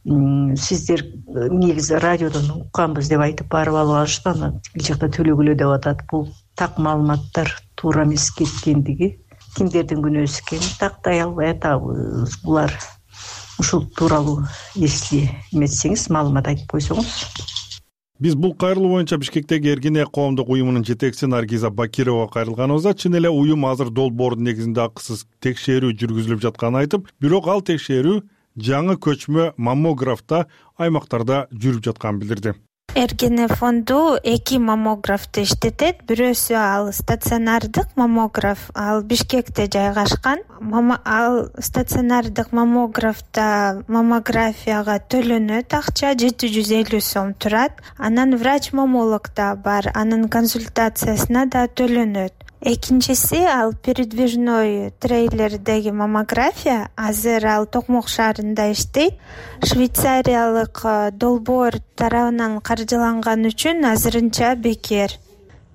Сиздер негизи радиодон укканбыз деп айтып барып алып алышты, аны тил жакта төлөгүлө деп атат. Бул так маалыматтар туура эмес кеткендиги, кимдердин күнөөсү экенин тактай албай атабыз. Булар ушул тууралуу если эметсеңиз маалымат айтып койсоңуз. Биз бул кайрылуу боюнча Бишкектеги Эргене коомдук уюмунун жетекчиси Наргиза Бакирова кайрылганыбызда чын эле уюм азыр долбоордун негизинде акысыз текшерүү жүргүзүлүп жатканын айтып, бирок ал текшерүү жаңы көчмө маммографта аймактарда жүрүп жатканын билдирди. Эргене фонду 2 маммографты иштетет. Бирөөсү ал стационардык маммограф, ал Бишкекте жайгашкан. Ал стационардык маммографта маммографияга төлөнөт акча 750 сом турат. Анан врач-маммолог да бар, анын консультациясына да төлөнөт. Экинчиси ал передвижной трейлердеги маммография. Азыр ал Токмок шаарында иштейт. Швейцариялык долбоор тарабынан каржыланган үчүн азырынча бекер.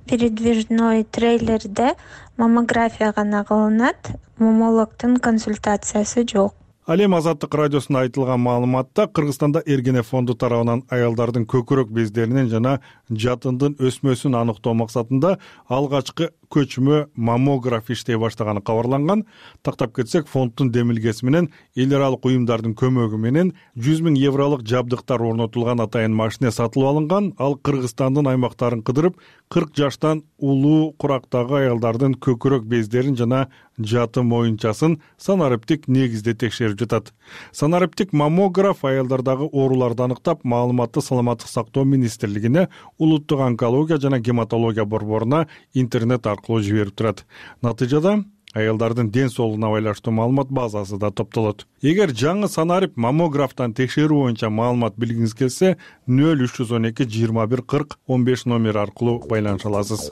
Передвижной трейлерде маммография гана кылынат, маммологдун консультациясы жок. Ал эми Азаттык радиосунда айтылган маалыматта Кыргызстанда Эргене фонду тарабынан аялдардын көкүрөк бездеринин жана жатындын өсмөсүн аныктоо максатында алгачкы көчмө маммограф иштей баштаганы кабарланган. Тактап кетсек, фонддун демилгеси менен эл аралык уюмдардын көмөгү менен 100 000 евролук жабдыктар орнотулган атайын машина сатылып алынган. Ал Кыргызстандын аймактарын кыдырып, 40 жаштан улуу курактагы аялдардын көкүрөк бездерин жана жатын моюнчасын санариптик негизде текшерип жатат. Санариптик маммограф аялдардагы ооруларды аныктап, маалыматты Саламаттык сактоо министрлигине, улуттук онкология жана гематология борборуна интернет аркылуу жиберип турат. Натыйжада аялдардын ден соолугуна байланыштуу маалымат базасы да топтолот. Эгер жаңы санарип маммографтан текшерүү боюнча маалымат билгиңиз келсе, 0312 21 40 15 номери аркылуу байланыша аласыз.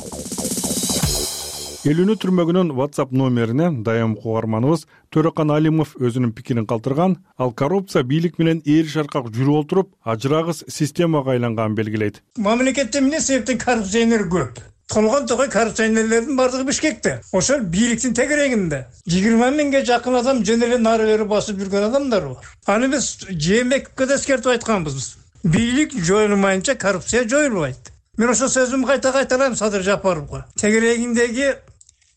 Элүүнү түрмөгүнүн WhatsApp номерине дайым угарманыбыз Төрөкан Алимов өзүнүн пикирин калтырган. Ал коррупция бийлик менен ээри шаркак жүрүп отуруп, ажырагыс системага айланганын белгилейт. Мамлекетте эмне себептен коррупционер көп? Толгон тогой коррупционерлердин бардыгы Бишкекте. Ошол бийликтин тегерегинде 20 миңге жакын адам жөн эле нары бери басып жүргөн адамдар бар. Аны биз Жээнбековке да эскертип айтканбыз. Бийлик жоюлмайынча коррупция жоюлбайт. Мен ошол сөзүмдү кайта-кайталайм Садыр Жапаровго.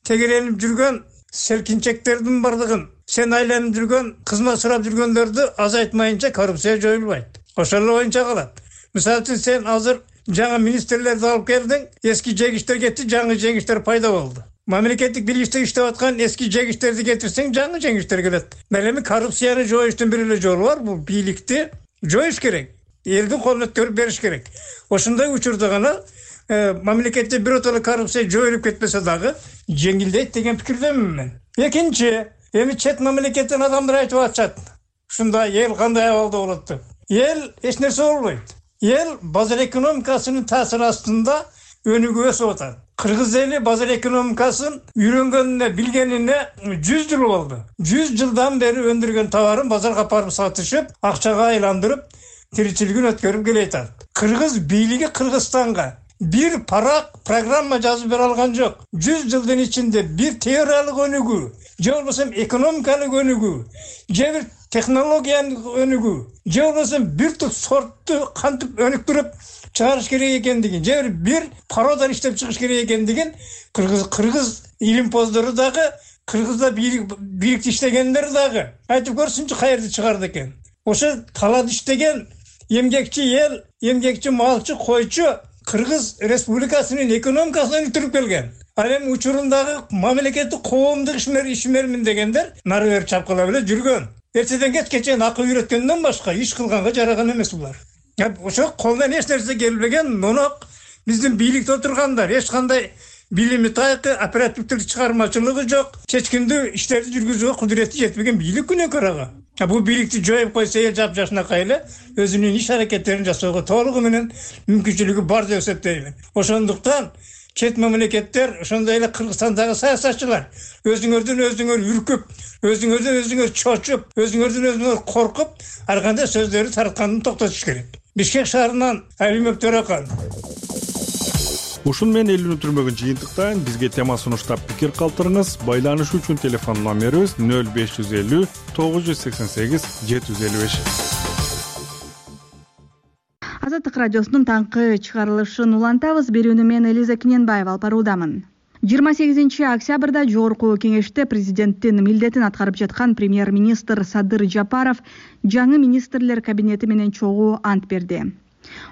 Тегеренип жүргөн селкинчектердин бардыгын, сен айланып жүргөн, кызмат сурап жүргөндөрдү азайтмайынча коррупция жоюлбайт. Ошол эле боюнча калат. Мисалы үчүн сен азыр жаңы министрлерди алып келдиң, эски жегиштер кетти, жаңы жегиштер пайда болду. Мамлекеттик билгичте иштеп аткан эски жегиштерди кетирсең, жаңы жегиштер келет. Эми коррупцияны жоюштун бир эле жолу бар, бул бийликти жоюш керек. Элдин колуна өткөрүп бериш керек. Ошондой учурда гана мамлекетте биротоло коррупция жоюлуп кетпесе дагы жеңилдейт деген пикирдемин мен. Экинчи, эми чет мамлекеттен адамдар айтып атышат. Ушундай эл кандай абалда болот деп. Эл эч нерсе болбойт. Эл базар экономикасынын таасири астында өнүгүп өсүп атат. Кыргыз эли базар экономикасын үйрөнгөнүнө, билгенине 100 жыл болду. 100 жылдан бери өндүргөн товарын базарга апарып сатышып, акчага айландырып, тиричилигин өткөрүп келатат. Кыргыз бийлиги Кыргызстанга бир парак программа жазып бере алган жок. 100 жылдын ичинде бир теориялык өнүгүү, же болбосо экономикалык өнүгүү, же бир технологиялык өнүгүү, же болбосо бир туп сортту кантип өнүктүрүп чыгарыш керек экендигин, же бир порода иштеп чыгыш керек экендигин кыргыз илимпоздору дагы, Кыргызда бийликти иштегендер дагы айтып көрсүнчү каерде чыгарды экен. Ошо талап иштеген эмгекчи эл, эмгекчи малчы, койчу Кыргыз Республикасынын экономикасын өлтүрүп келген. Ал эми учурундагы мамлекеттик коомдук ишмермин дегендер нары бери чапкыла эле жүргөн. Эртеден кечке чейин акыл үйрөткөндөн башка иш кылганга жараган эмес булар. Ошо колдон эч нерсе келбеген нонок биздин бийликте отургандар эч кандай билими тайкы, оперативдик чыгармачылыгы жок, чечкиндүү иштерди жүргүзүүгө кудурети жетпеген бийлик күнөөкөр ага. Бул бийликти жоюп койсо эл жапжашынакай эле өзүнүн иш аракеттерин жасоого толугу менен мүмкүнчүлүгү бар деп эсептейм. Ошондуктан чет мамлекеттер, ошондой эле Кыргызстандагы саясатчылар өзүңөрдөн үркүп, өзүңөр чочуп, өзүңөр коркуп, ар кандай сөздөрү таратканын токтотуш керек. Бишкек шаарынан Алимов Төрахан. Ушун менен элүүнү түрмөгүн жыйынтыктайын. Бизге тема сунуштап пикир калтырыңыз. Байланыш үчүн телефон номерибиз 0550 988 755. Азаттык радиосунун таңкы чыгарылышын улантабыз. Берүүнү мен Элиза Кененбаева алып баруудамын. 28 октябрда Жогорку кеңеште президенттин милдетин аткарып жаткан премьер-министр Садыр Жапаров жаңы министрлер кабинети менен чогуу ант берди.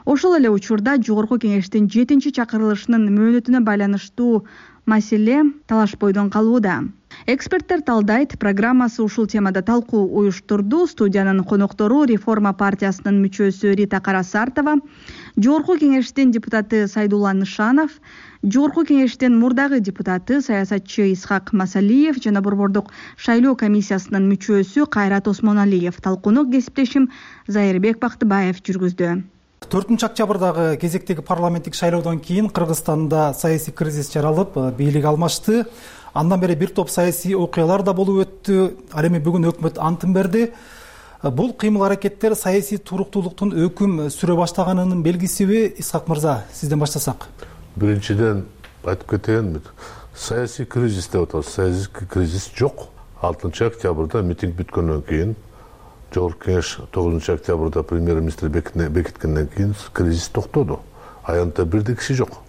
Ошол эле учурда Жогорку кеңештин 7-чакырылышынын мөөнөтүнө байланыштуу маселе талаш бойдон калууда. Эксперттер талдайт, программасы ушул темада талкуу уюштурду. Студиянын коноктору Реформа партиясынын мүчөсү Рита Карасартова, Жогорку кеңештин депутаты Сайдулла Нышанов, Жогорку кеңештин мурдагы депутаты саясатчы Исхак Масалиев жана Борбордук шайлоо комиссиясынын мүчөсү Кайрат Осмоналиев талкууну кесиптешим Зайырбек Бактыбаев жүргүздү. 4 октябрдагы кезектеги парламенттик шайлоодон кийин Кыргызстанда саясий кризис жаралып, бийлик алмашты. Андан бери бир топ саясий окуялар да болуп өттү. Ал эми бүгүн өкмөт антын берди. Бул кыймыл аракеттер саясий туруктуулуктун өкүм сүрө баштаганынын белгисиби? Исхак мырза, сизден баштасак. Биринчиден айтып кетейин, саясий кризис деп атабыз. Саясий кризис жок. 6 октябрда митинг бүткөндөн кийин, Жогорку кеңеш 9 октябрда премьер-министр бекиткенден кийин кризис токтоду. Аянтта бирде киши жок.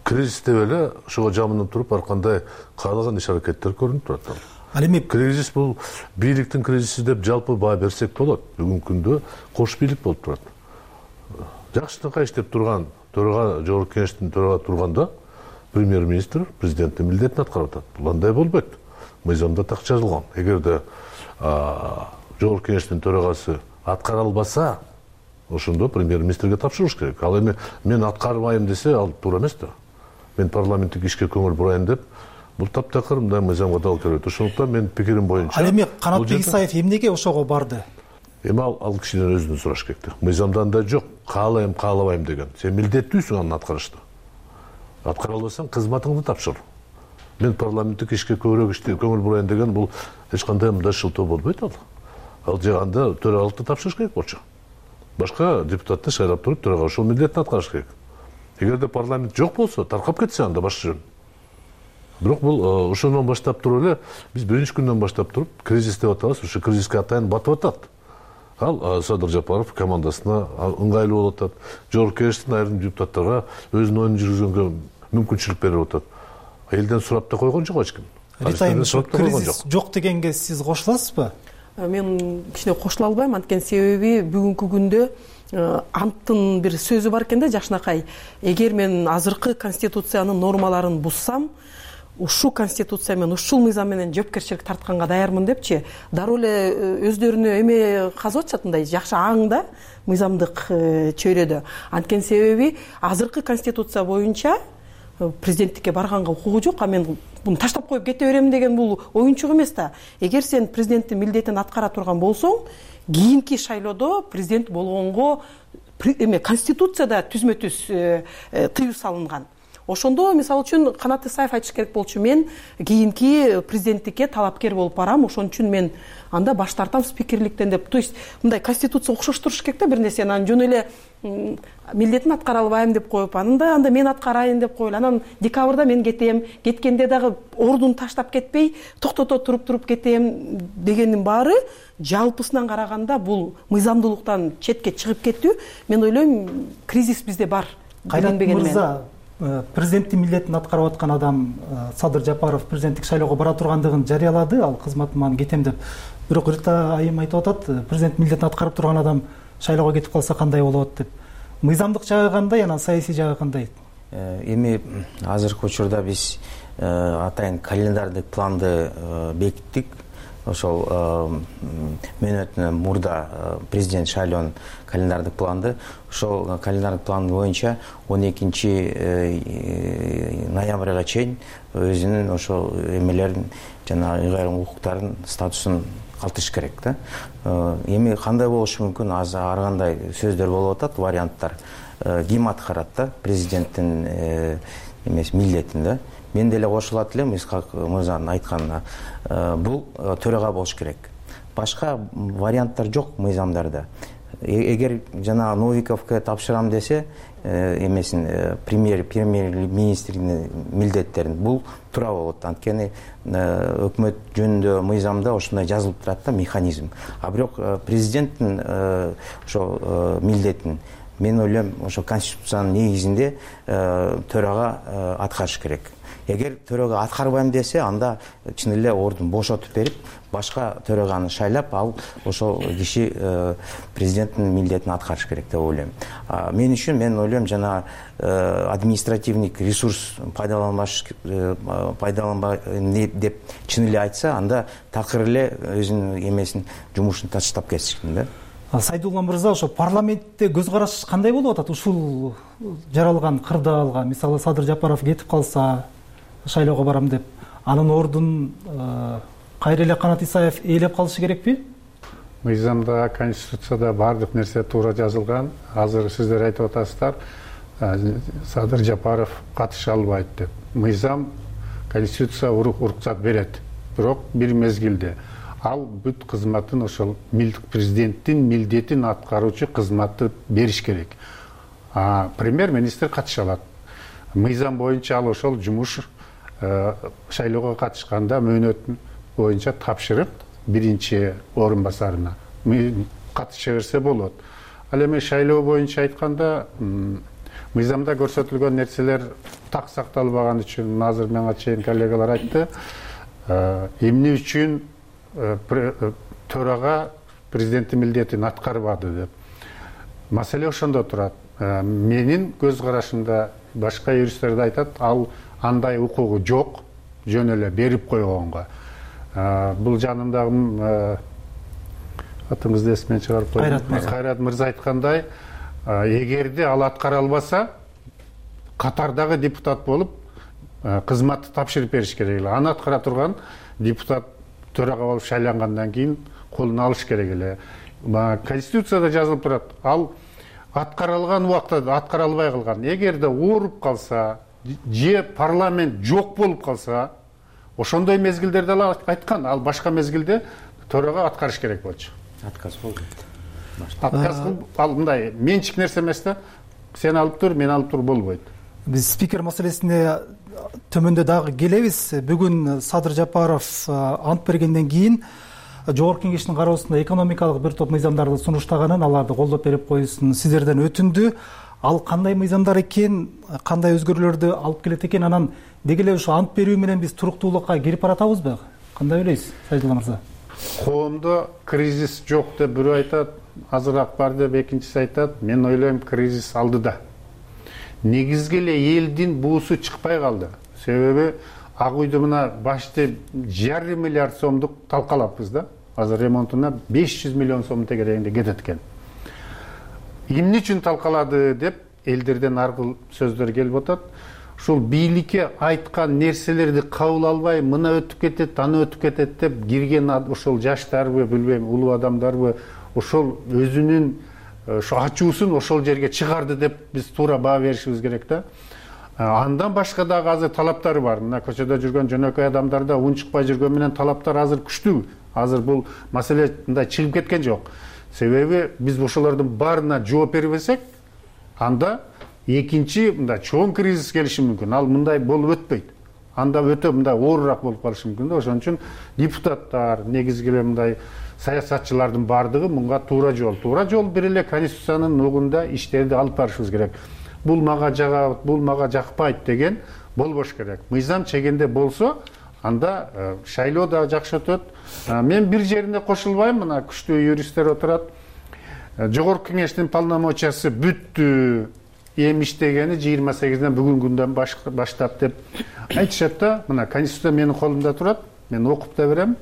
Кризис деп эле ошого жамынып туруп ар кандай каалаган иш аракеттер көрүнүп турат. Ал эми кризис бул бийликтин кризиси деп жалпы баа берсек болот. Бүгүнкү күндө кош бийлик болуп турат. Жакшынакай иштеп турган Жогорку кеңештин төрага турганда премьер-министр президенттин милдетин аткарып атат. Бул андай болбойт. Мыйзамда так жазылган. Эгерде Жогорку кеңештин төрагасы аткара албаса, ошондо премьер-министрге тапшырыш керек. Ал эми мен аткарбайм десе, ал туура эмес да. Мен парламенттик ишке көңүл бурайын деп, бул таптакыр мындай мыйзамга дал келет. Ошондуктан мен пикирим боюнча. Ал эми Канатбек Исаев эмнеге ошого барды? Эми ал кишиден өзүнөн сураш керек да. Мыйзамда да жок, каалайм, каалабайм деген. Сен милдеттүүсүң аны аткарышта. Аткара албасаң, кызматыңды тапшыр. Мен парламенттик ишке көбүрөөк көңүл бурайын деген бул эч кандай мындай шылтоо болбойт ал. Ал жаганда төрагалыкты тапшырыш керек болчу. Башка депутатты шайлап туруп төрага ошол милдетин аткарыш керек. Эгерде парламент жок болсо, таркап кетсе анда башка жөн. Бирок бул ошондон баштап туруп эле биз биринчи күндөн баштап туруп кризис деп атабыз, ошо кризиске атайын батып атат. Ал Садыр Жапаров командасына ыңгайлуу болуп атат. Жогорку кеңештин айрым депутаттарга өзүнүн оюн жүргүзгөнгө мүмкүнчүлүк берип атат. Элден сурап да койгон жок эч ким. Рита айым, кризис жок дегенге сиз кошуласызбы? Мен кичине кошула албайм, анткени себеби бүгүнкү күндө анттын бир сөзү бар экен да, Жакшынакай. Эгер мен азыркы конституциянын нормаларын буссам, ушул конституция менен, ушул мыйзам менен жоопкерчилик тартканга даярмын депчи, дароо эле өздөрүнө эме казып атышат, мындай жакшы аң да мыйзамдык чөйрөдө. Анткени себеби азыркы конституция боюнча президенттикке барганга укугу жок, а мен буну таштап коюп кете берем деген бул оюнчук эмес да. Эгер сен президенттин милдетин аткара турган болсоң, кийинки шайлоодо президент болгонго конституцияда түзмө-түз тыюу салынган. Ошондо мисалы үчүн Канат Исаев айтыш керек болчу, мен кийинки президенттикке талапкер болуп барам, ошон үчүн мен анда баш тартам спикерликтен деп. То есть мындай конституция окшоштуруш керек да бир нерсени, анан жөн эле милдетин аткара албайм деп коюп, анда мен аткарайын деп коелу. Анан декабрда мен кетем, кеткенде дагы ордуну таштап кетпей, токтото туруп кетем дегендин баары жалпысынан караганда бул мыйзамдуулуктан четке чыгып кетүү. Мен ойлойм, кризис бизде бар. Кайрат мырза, президенттин милдетин аткарып аткан адам Садыр Жапаров президенттик шайлоого бара тургандыгын жарыялады, ал кызматыман кетем деп. Бирок Рита айым айтып атат, президент милдетин аткарып турган адам шайлоого кетип калса кандай болот деп. мыйзамдык жагы кандай, анан саясий жагы кандай? Эми азыркы учурда биз атайын календардык планды бекиттик. Ошол мөөнөтүнөн мурда президент шайлоонун календардык планды. Ошол календардык план боюнча 12 ноябрга чейин өзүнүн ошол эмелерин жана ыйгарым укуктарын статусун калтырыш керек да. Эми кандай болушу мүмкүн? Ар кандай сөздөр болуп атат, варианттар. Ким аткарат да президенттин эмес милдетин да. Мен деле кошулат элем Исхак мырзанын айтканына. Бул төрага болуш керек. Башка варианттар жок мыйзамдарда. Эгер жана Новиковго тапшырам десе, эмесин премьер-министрдин милдеттерин бул туура болот. Анткени өкмөт жөнүндө мыйзамда ошондой жазылып турат да механизм. А бирок президенттин ошо милдетин мен ойлойм ошо конституциянын негизинде төрага аткарыш керек. Эгер төрага аткарбайм десе, анда чын эле ордун бошотуп берип, башка төраганы шайлап, ал ошол киши президенттин милдетин аткарыш керек деп ойлойм. Мен үчүн мен ойлойм жана административдик ресурс пайдаланбай деп чын эле айтса, анда такыр эле өзүнүн эмесин жумушун таштап кетишкен да. Сайдулла мырза, ошо парламентте көз караш кандай болуп атат ушул жаралган кырдаалга? Мисалы Садыр Жапаров кетип калса, шайлоого барам деп, анын ордун кайра эле Канат Исаев ээлеп калышы керекпи? Мыйзамда, конституцияда баардык нерсе туура жазылган. Азыр сиздер айтып атасыздар, Садыр Жапаров катыша албайт деп. Мыйзам, конституция уруксат берет. Бирок бир мезгилде ал бүт кызматын ошол президенттин милдетин аткаруучу кызматты бериш керек. Премьер-министр катыша алат. Мыйзам боюнча ал ошол жумуш шайлоого катышканда мөөнөт боюнча тапшырып биринчи орун басарына катыша берсе болот. Ал эми шайлоо боюнча айтканда мыйзамда көрсөтүлгөн нерселер так сакталбаган үчүн азыр мага чейин коллегалар айтты. Эмне үчүн төрага президенттин милдетин аткарбады деп. Маселе ошондо турат. Менин көз карашымда башка юристтер да айтат, ал андай укугу жок, жөн эле берип койгонго. Бул жанымдагы атыңызды эсимен чыгарып койдум. Кайрат мырза айткандай, эгерде ал аткара албаса, катардагы депутат болуп кызматты тапшырып бериш керек эле. Аны аткара турган депутат төрага болуп шайлангандан кийин колуна алыш керек эле. Конституцияда жазылып турат, ал аткарылган убакта аткара албай калган. Эгерде ооруп калса, же парламент жок болуп калса, ошондой мезгилдерде ал айткан, ал башка мезгилде төрага аткарыш керек болчу. Отказ болду. Отказ ал мындай менчик нерсе эмес да. Сен алып тур, мен алып тур болбойт. Биз спикер маселесине төмөндө дагы келебиз. Бүгүн Садыр Жапаров ант бергенден кийин Жогорку Кеңештин кароосунда экономикалык бир топ мыйзамдарды сунуштаганын, аларды колдоп берип коюшун сиздерден өтүндү. Ал кандай мыйзамдар экен, кандай өзгөрүүлөрдү алып келет экен, анан деги эле ушу ант берүү менен биз туруктуулукка кирип баратабызбы? Кандай ойлойсуз, Сайдулла мырза? Коомдо кризис жок деп бирөө айтат, азыраак бар деп экинчиси айтат. Мен ойлойм, кризис алдыда. Негизги эле элдин буусу чыкпай калды. Себеби Ак үйдө мына башты 1,5 миллиард сомдук талкалаппыз да. Азыр ремонтуна 500 миллион сом тегерегинде кетет экен. Эмне үчүн талкалады деп элдерден аркыл сөздөр келип атат. Ушул бийликке айткан нерселерди кабыл албай, мына өтүп кетет, аны өтүп кетет деп кирген ошол жаштарбы, билбейм, улуу адамдарбы, ошол өзүнүн ошо ачуусун ошол жерге чыгарды деп биз туура баа беришибиз керек да. Андан башка дагы азыр талаптары бар. Мына көчөдө жүргөн жөнөкөй адамдарда ун чыкпай жүргөн менен талаптар азыр күчтүү. Азыр бул маселе мындай чыгып кеткен жок. Себеби биз ошолордун баарына жооп бербесек, анда экинчи мындай чоң кризис келиши мүмкүн. Ал мындай болуп өтпөйт. Анда өтө мындай оорураак болуп калышы мүмкүн да. Ошон үчүн депутаттар, негизги эле мындай саясатчылардын баардыгы мунга туура жол бир эле конституциянын нугунда иштерди алып барышыбыз керек. Бул мага жагат, бул мага жакпайт деген болбош керек. Мыйзам чегинде болсо, анда шайлоо да жакшы өтөт. Мен бир жерине кошулбайм, мына күчтүү юристтер отурат. жогорку кеңештин полномочиясы бүттү, эми иштегени 28-ден бүгүнкү күндөн баштап деп айтышат да. Мына конституция менин колумда турат, мен окуп да берем.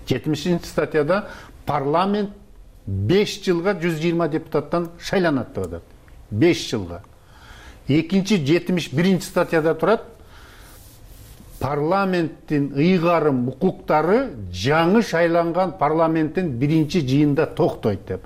70-статьяда парламент 5 жылга 120 депутаттан шайланат деп атат. 5 жылга. Экинчи 71-статьяда турат, парламенттин ыйгарым укуктары жаңы шайланган парламенттин биринчи жыйынында токтойт деп.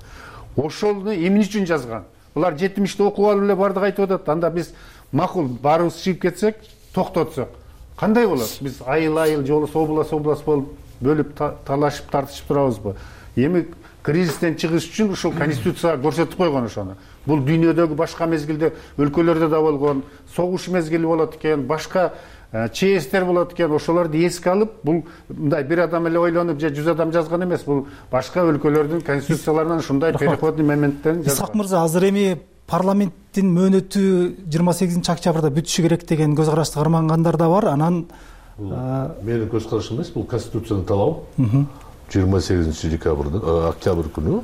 Ошону эмне үчүн жазган? Булар 70-те окуп алып эле бардык айтып атат. Анда биз макул баарыбыз чыгып кетсек, токтотсок кандай болот? Биз айыл же болбосо область болуп бөлүп талашып тартышып турабызбы? Эми кризистен чыгыш үчүн ушул конституцияга көрсөтүп койгон ошону. Бул дүйнөдөгү башка мезгилде өлкөлөрдө да болгон, согуш мезгили болот экен, башка чээстер болот экен, ошолорду эске алып, бул мындай бир адам эле ойлонуп же 100 адам жазган эмес, бул башка өлкөлөрдүн конституцияларынан ушундай переходный моменттерин жазган. Исак мырза, азыр эми парламенттин мөөнөтү 28-октябрда бүтүшү керек деген көз карашты кармангандар да бар. Анан менин көз карашым эмес, бул конституциянын талабы. 28 октябрь күнү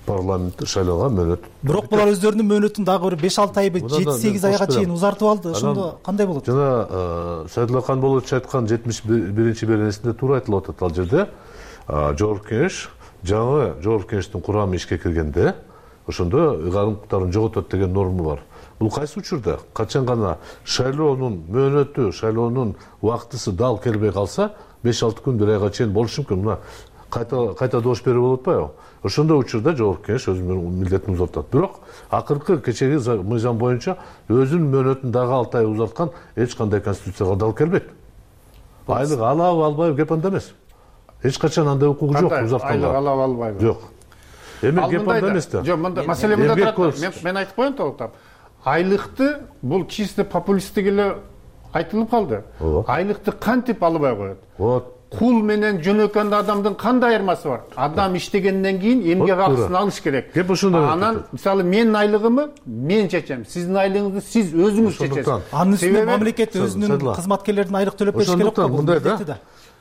парламентте шайлоого мөөнөт. Бирок булар өздөрүнүн мөөнөтүн дагы бир 5-6 айбы 7-8 айга чейин узартып алды. Ошондо кандай болот? Жана Сайдулла Канболович айткан 71-беренчи беренесинде туура айтылып атат ал жерде. Жогорку кеңеш, жаңы жогорку кеңештин курамы ишке киргенде, ошондо ыйгарым укуктарын жоготот деген норма бар. Бул кайсы учурда? Качан гана шайлоонун мөөнөтү, шайлоонун убактысы дал келбей калса, 5-6 күн, бир айга чейин болушу мүмкүн. Мына кайта добуш берүү болуп атпайбы? Ошондой учурда жогорку кеңеш өзүнүн милдетин узартат. Бирок акыркы кечеги мыйзам боюнча өзүнүн мөөнөтүн дагы 6 ай узарткан эч кандай конституцияга дал келбейт. Айлык алабы албайбы кеп анда эмес. Эч качан андай укугу жок узартканга. Айлык алабы албайбы? Жок. Эми кеп анда эмес да. Жок, мында маселе мында турат. Мен айтып коеюн толуктап. Айлыкты бул чисто популисттик эле айтылып калды. Айлыкты кантип албай коет? Вот. Кул менен жөнөкөн адамдын кандай айырмасы бар? Адам иштегенден кийин эмгек акысын алыш керек. Кеп ошондой. Анан мисалы менин айлыгымы мен чечем, сиздин айлыгыңызды сиз өзүңүз чечесиз. Анын үстүнө мамлекет өзүнүн кызматкерлердин айлык төлөп бериш керек го. Мындай да.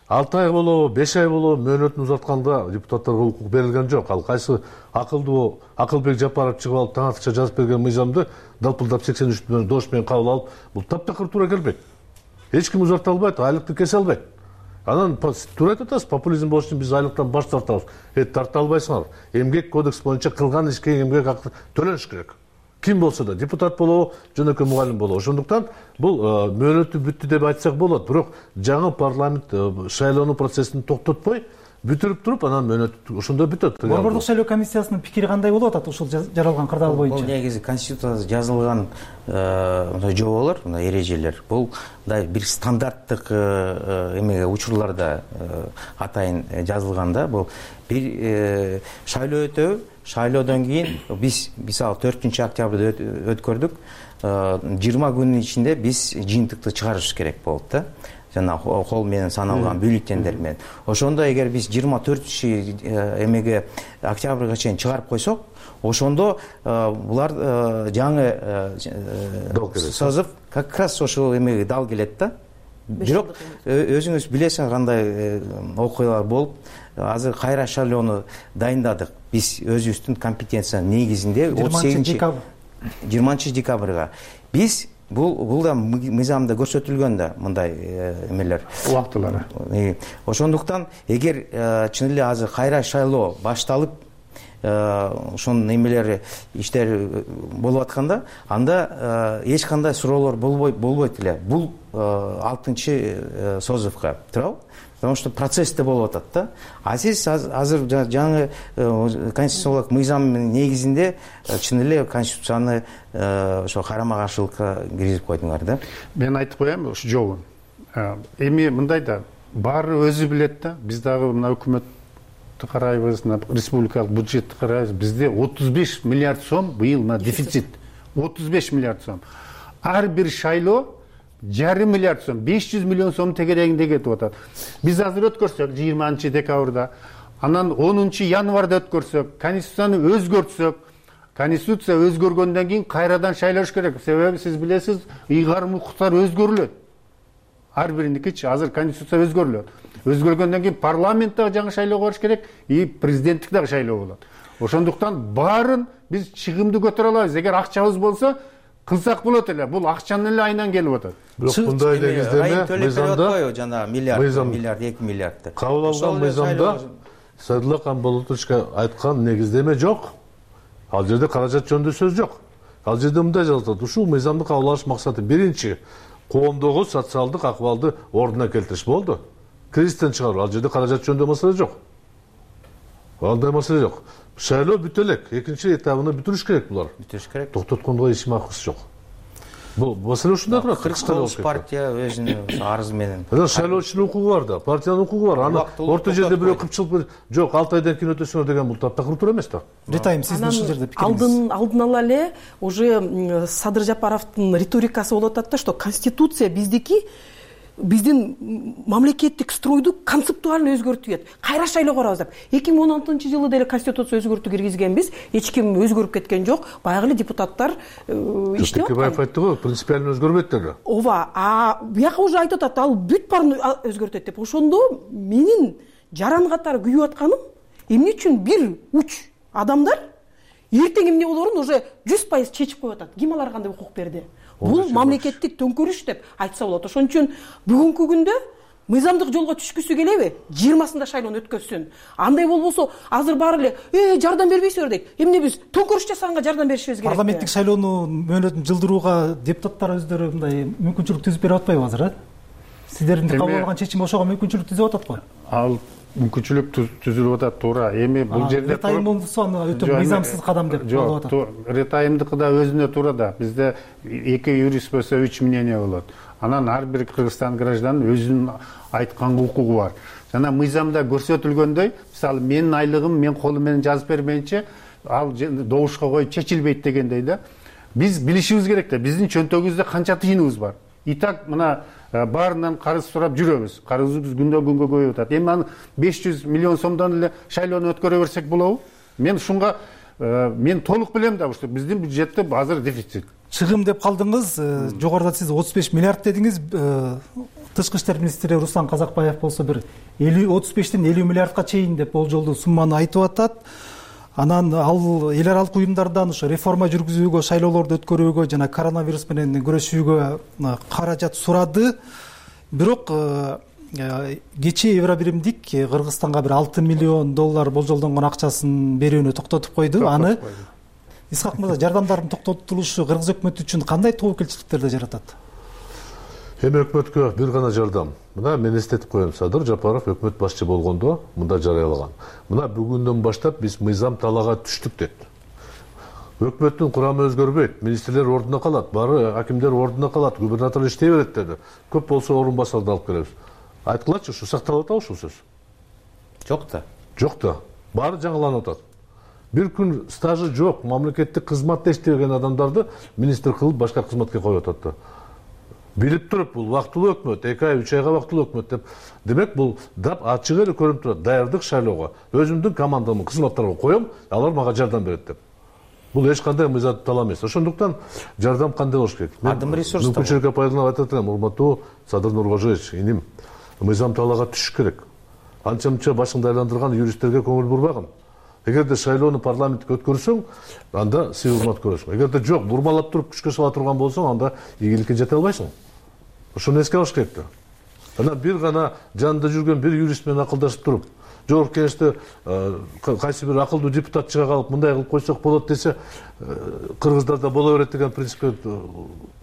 6 ай болобу, 5 ай болобу мөөнөтүн узартканда депутаттарга укук берилген жок. Ал кайсы акылдуу Акылбек Жапаров чыгып алып таң атыкча жазып берген мыйзамды далпылдап 83 дош менен кабыл алып, бул таптакыр туура келбейт. Эч ким узарта албайт, айлыкты кесе албайт. Анан туура айтып атасыз, популизм болуш үчүн биз айлыктан баш тартабыз. Тарта албайсыңар. Эмгек кодекс боюнча кылган ишке эмгек акы төлөнүш керек. Ким болсо да, депутат болобу, жөнөкөй мугалим болобу. Ошондуктан бул мөөнөтү бүттү деп айтсак болот. Бирок жаңы парламент шайлоонуу процессин токтотпой, бүтүрүп туруп, анан мөөнөт ошондо бүтөт. Борбордук шайлоо комиссиясынын пикири кандай болуп атат ушул жаралган кырдаал боюнча? Бул негизи конституцияда жазылган жоболор, эрежелер. Бул мындай бир стандарттык эмеге учурларда атайын жазылган да. Бул бир шайлоо өтөбү, шайлоодон кийин биз мисалы 4-октябрда өткөрдүк. 20 күнүн ичинде биз жыйынтыкты чыгарыш керек болот да. Жана кол менен саналган бюллетендер менен. Ошондо эгер биз 24 эмеге октябрга чейин чыгарып койсок, ошондо булар жаңы созып как раз ошол эмеге дал келет да. Бирок өзүңүз билесиңер кандай окуялар болуп, азыр кайра шайлоону дайындадык. Биз өзүбүздүн компетенциянын негизинде 20 декабрга биз бул да мыйзамда көрсөтүлгөн да мындай эмелер, убактылары. Ошондуктан эгер чын эле азыр кайра шайлоо башталып, ошонун эмелери иштер болуп атканда, анда эч кандай суроолор болбойт эле. Бул 6 созывка туурабы? Потому что процессте болуп атат да. А сиз азыр жаңы конституциялык мыйзамдын негизинде чын эле конституцияны ошо карама каршылыкка киргизип койдуңар да. Мен айтып коем ушу жобун. Эми мындай да, баары өзү билет да. Биз дагы мына өкмөттү карайбыз, республикалык бюджетти карайбыз. Бизде 35 миллиард сом быйыл дефицит. 35 миллиард сом. Ар бир шайлоо 1,5 миллиард сом, 500 миллион сом тегерегинде кетип атат. Биз азыр өткөрсөк 20 декабрда, анан 10 январда өткөрсөк, конституцияны өзгөртсөк, конституция өзгөргөндөн кийин кайрадан шайлаш керек. Себеби сиз билесиз, ыйгарым укуктар өзгөрүлөт. Ар бириндикичи азыр конституция өзгөрүлөт. Өзгөргөндөн кийин парламент дагы жаңы шайлоого барыш керек, и президенттик дагы шайлоо болот. Ошондуктан баарын биз чыгымды көтөрө алабыз. Эгер акчабыз болсо кылсак болот эле. Бул акчанын эле айынан келип атат. Бирок мындай негиздеме мыйзамда жана миллиард 2 миллиардты кабыл алган мыйзамда Садылла Камболотовичке айткан негиздеме жок. Ал жерде каражат жөнүндө сөз жок. Ал жерде мындай жазылат: ушул мыйзамды кабыл алыш максаты биринчи коомдогу социалдык акыбалды ордуна келтириш болду. Кризистен чыгаруу. Ал жерде каражат жөнүндө маселе жок. Андай маселе жок. Шайлоо бүтө элек, экинчи этабын бүтүрүш керек булар. Бүтүрүш керек. Токтотконго эч максаты жок. Бул маселе ушундай турат. 49 партия өзүнүн арызы менен. Шайлоочунун укугу бар да, партиянын укугу бар. Аны орто жерде бирөө кыпчылып жок, 6 айдан кийин өтөсүңөр деген бул таптакыр туура эмес да. Ретайым, сиздин ушул жерде пикириңиз. Алдын ала эле уже Садыр Жапаровдун риторикасы болуп атат да, что конституция биздин мамлекеттик стройду концептуально өзгөртүп. Кайра шайлоого барабыз деп. 2016-жылы деле конституция өзгөртүү киргизгенбиз. Эч ким өзгөрүп кеткен жок. Баягы эле депутаттар иштеп аткан. Текебаев айтты го, принципиально өзгөрбөйт деди. Ооба, бияка уже айтып атат, ал бүт баарын өзгөртөт деп. Ошондо менин жаран катары күйүп атканым, эмне үчүн бир уч адамдар эртең эмне болоорун уже 100% чечип коюп атат. Ким аларга кандай укук берди? Бул мамлекеттик төңкөрүш деп айтса болот. Ошон үчүн бүгүнкү күндө мыйзамдык жолго түшкүсү келеби? 20-сында шайлоону өткөзсүн. Андай болбосо азыр баары эле жардам бербейсиздер дейт. Эмне биз төңкөрүш жасаганга жардам беришибиз керек. Парламенттик шайлоону мөөнөтүн жылдырууга депутаттар өздөрү мындай мүмкүнчүлүк түзүп берип атпайбы азыр, Сиздердин кабыл алган чечим ошого мүмкүнчүлүк түзүп атат го. Ал мүмкүнчүлүк түзүлүп атат, туура. Эми бул жерде ретайымдысы өтө мыйзамсыз кадам деп болуп атат. Ретайымдыкы да өзүнө туура да. Бизде 2 юрист болсо 3 мнение болот. Анан ар бир Кыргызстан гражданынын өзүнүн айткан укугу бар. Жана мыйзамда көрсөтүлгөндөй, мисалы менин айлыгым мен колум менен жазып бермейинче ал добушка коюп чечилбейт дегендей да. Биз билишибиз керек да, биздин чөнтөгүбүздө канча тыйыныбыз бар. Итак, мына баарынан карыз сурап жүрөбүз. Карызыбыз күндөн күнгө көбөйүп атат. Эми аны 500 миллион сомдон эле шайлоону өткөрө берсек болобу? Мен ушунга мен толук билем да, что биздин бюджетте азыр дефицит. Чыгым деп калдыңыз. Жогоруда сиз 35 миллиард дедиңиз. Тышкы иштер министри Руслан Казакбаев болсо бир 35-тен 50 миллиардка чейин деп болжолдуу сумманы айтып атат. Анан ал эл аралык уюмдардан ошо реформа жүргүзүүгө, шайлоолорду өткөрүүгө жана коронавирус менен күрөшүүгө каражат сурады. Бирок кечээ Евробиримдик Кыргызстанга бир 6 миллион доллар болжолдонгон акчасын берүүнү токтотуп койду. Аны Исхак мырза, жардамдардын токтотулушу Кыргыз өкмөтү үчүн кандай тобокелчиликтерди жаратат? Эми өкмөткө бир гана жардам. Мына мен эстетип коем, Садыр Жапаров өкмөт башчы болгондо мында жарыялаган. Мына бүгүндөн баштап биз мыйзам талаага түштүк дейт. Өкмөттүн курамы өзгөрбөйт, министрлер ордуна калат, баары акимдер ордуна калат, губернатор иштей берет деди. Көп болсо орун басарды алып келебиз. Айткылачы, ушу сакталып атабы ушул сөз? Жок да. Жок да. Баары жаңыланып атат. Бир күн стажы жок, мамлекеттик кызматта иштеген адамдарды министр кылып башка кызматка коюп атат да. Билип туруп, бул вактылуу өкмөт, 2 ай, 3 айга вактылуу өкмөт деп. Демек, бул дап ачык эле көрүнүп турат. Даярдык шайлоого. Өзүмдүн командамды кызматтарга коем, алар мага жардам берет деп. Бул эч кандай мыйзам талап эмес. Ошондуктан жардам кандай болуш керек? Адым ресурс. Мүмкүнчүлүккө пайдаланып айтат элем, урматтуу Садыр Нуркожоевич, иним. Мыйзам талаага түшүш керек. Анча-мынча башыңды айландырган юристтерге көңүл бурбагын. Эгерде шайлоону парламентке өткөрсөң, анда сый урмат көрөсүң. Эгерде жок, бурмалап туруп күчкө сала турган болсоң, анда ийгиликке жете албайсың. Ошону эске алыш керек да. Анан бир гана жанында жүргөн бир юрист менен акылдашып туруп, жогорку кеңеште кайсы бир акылдуу депутат чыга калып, мындай кылып койсок болот десе, кыргыздарда боло берет деген принципке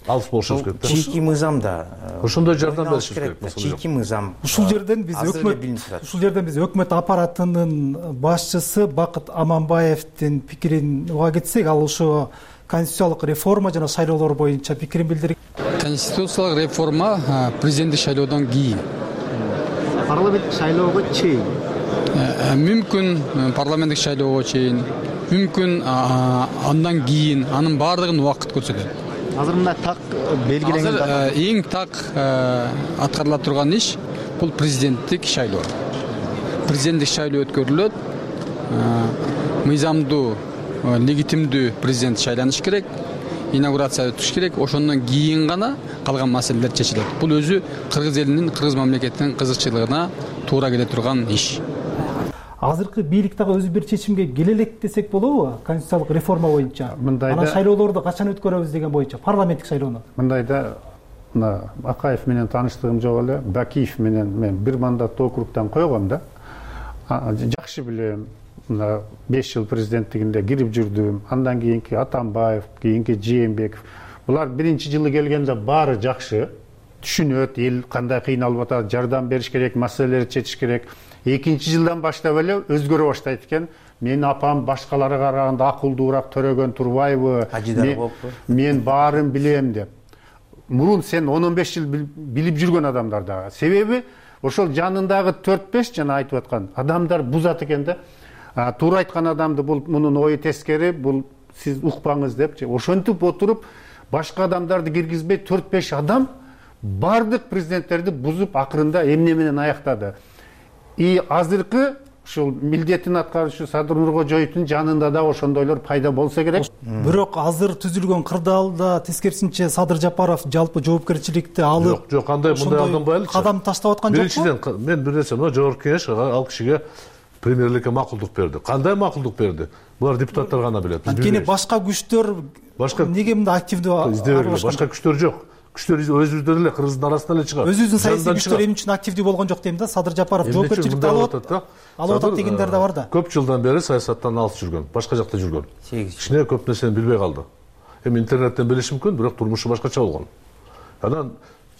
алыс болушубуз керек да. Чийки мыйзамда ошондой жардам беришибиз керек. Чийки мыйзам. Ушул жерден биз өкмөт аппаратынын башчысы Бакыт Аманбаевдин пикирин уга кетсек, ал ошо конституциялык реформа жана шайлоолор боюнча пикирин билдирген. Конституциялык реформа президенттик шайлоодон кийин. Парламенттик шайлоого чейин. Мүмкүн парламенттик шайлоого чейин, мүмкүн андан кийин, анын баардыгын убакыт көрсөтөт. Азыр мына так белгиленген. Эң так аткарыла турган иш бул президенттик шайлоо. Президенттик шайлоо өткөрүлөт. Мыйзамдуу, легитимдүү президент шайланыш керек. Инаугурация өтүш керек. Ошондон кийин гана калган маселелер чечилет. Бул өзү кыргыз элинин, кыргыз мамлекетинин кызыкчылыгына туура келе турган иш. азыркы бийлик дагы өзү бир чечимге келе элек десек болобу? Конституциялык реформа боюнча анан шайлоолорду качан өткөрөбүз деген боюнча, парламенттик шайлоону. Мындайда мына Акаев менен тааныштыгым жок эле, Бакиев менен мен бир мандаттуу округдан койгом да. Жакшы билем. Мына 5 жыл президенттигинде кирип жүрдүм. Андан кийинки Атамбаев, кийинки Жээнбеков. Булар биринчи жылы келгенде баары жакшы. Түшүнөт, эл кандай кыйналып атат, жардам бериш керек, маселелерди чечиш керек. Экинчи жылдан баштап эле өзгөрө баштайт экен. Менин апам башкаларга караганда акылдуураак Төрөгөн Турбаева, мен баарын билем деп. Мурун сен 10-15 жыл билип жүргөн адамдар да. Себеби ошол жанындагы 4-5 жана айтып аткан адамдар бузат экен да. Туура айткан адамды бул мунун ою тескери, бул сиз укпаңыз деп, ошентип отуруп башка адамдарды киргизбей 4-5 адам бардык президенттерди бузуп акырында эмне менен аяктады. И азыркы ушул милдетин аткаруучу Садыр Нуркожоевдун жанында да ошондойлор пайда болсо керек. Бирок азыр түзүлгөн кырдаалда тескерисинче Садыр Жапаров жалпы жоопкерчиликти алып, жок, кандай мындай алданбайлычы. Кадам таштап аткан жокпу? Биринчиден мен бир нерсе, мына жогорку кеңеш ал кишиге премьерликке макулдук берди. Кандай макулдук берди? Булар депутаттар гана билет. Анткени башка күчтөр неге мындай активдүү аралашкан? Башка күчтөр жок. Күчтөр өзүбүздөн эле Кыргыздын арасынан эле чыгат. Өзүбүздүн саясий күчтөр эмне үчүн активдүү болгон жок дейм да. Садыр Жапаров жоопкерчиликти алып атат дегендер да бар да. Көп жылдан бери саясаттан алыс жүргөн, башка жакта жүргөн. Кичине көп нерсени билбей калды. Эми интернеттен билиши мүмкүн, бирок турмушу башкача болгон. Анан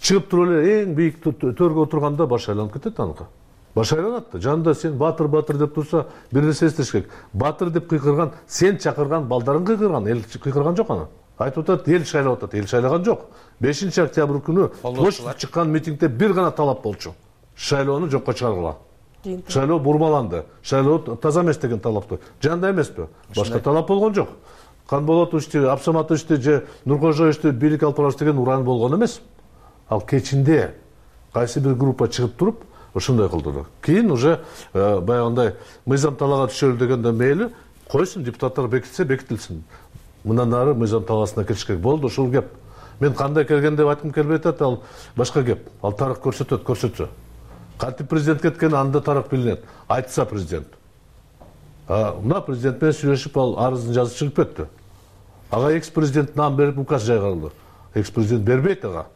чыгып туруп эле эң бийик төргө отурганда баш айланып кетет аныкы. Баш айланат да. Жанында сен батыр деп турса, бир нерсе эстеш керек. Батыр деп кыйкырган, сен чакырган балдарың кыйкырган, эл кыйкырган жок аны. Айтып атат, эл шайлап атат, эл шайлаган жок. 5 октябрь күнү площадьга чыккан митингде бир гана талап болчу. Шайлоону жокко чыгаргыла. Шайлоо бурмаланды. Шайлоо таза эмес деген талапты. Жанда эмеспи? Башка талап болгон жок. Канболотовичти, Абсаматовичти же Нуркожоевичти бийлик алып барабыз деген уран болгон эмес. Ал кечинде кайсы бир группа чыгып туруп ошондой кылды. Кийин уже баягындай мыйзам талаага түшөлү дегенде мейли койсун, депутаттар бекитсе бекитилсин. Мындан ары мыйзам талаасына кириш керек. Болду ушул кеп. Мен кандай келген деп айткым келбей атат, ал башка кеп. Ал тарых көрсөтсө. Кантип президент кеткен, анда тарых билинет. Айтса президент. Мына президент менен сүйлөшүп ал арызын жазып чыгып кетти. Ага экс-президент нам берип указ жайгарылды. Экс-президент бербейт ага.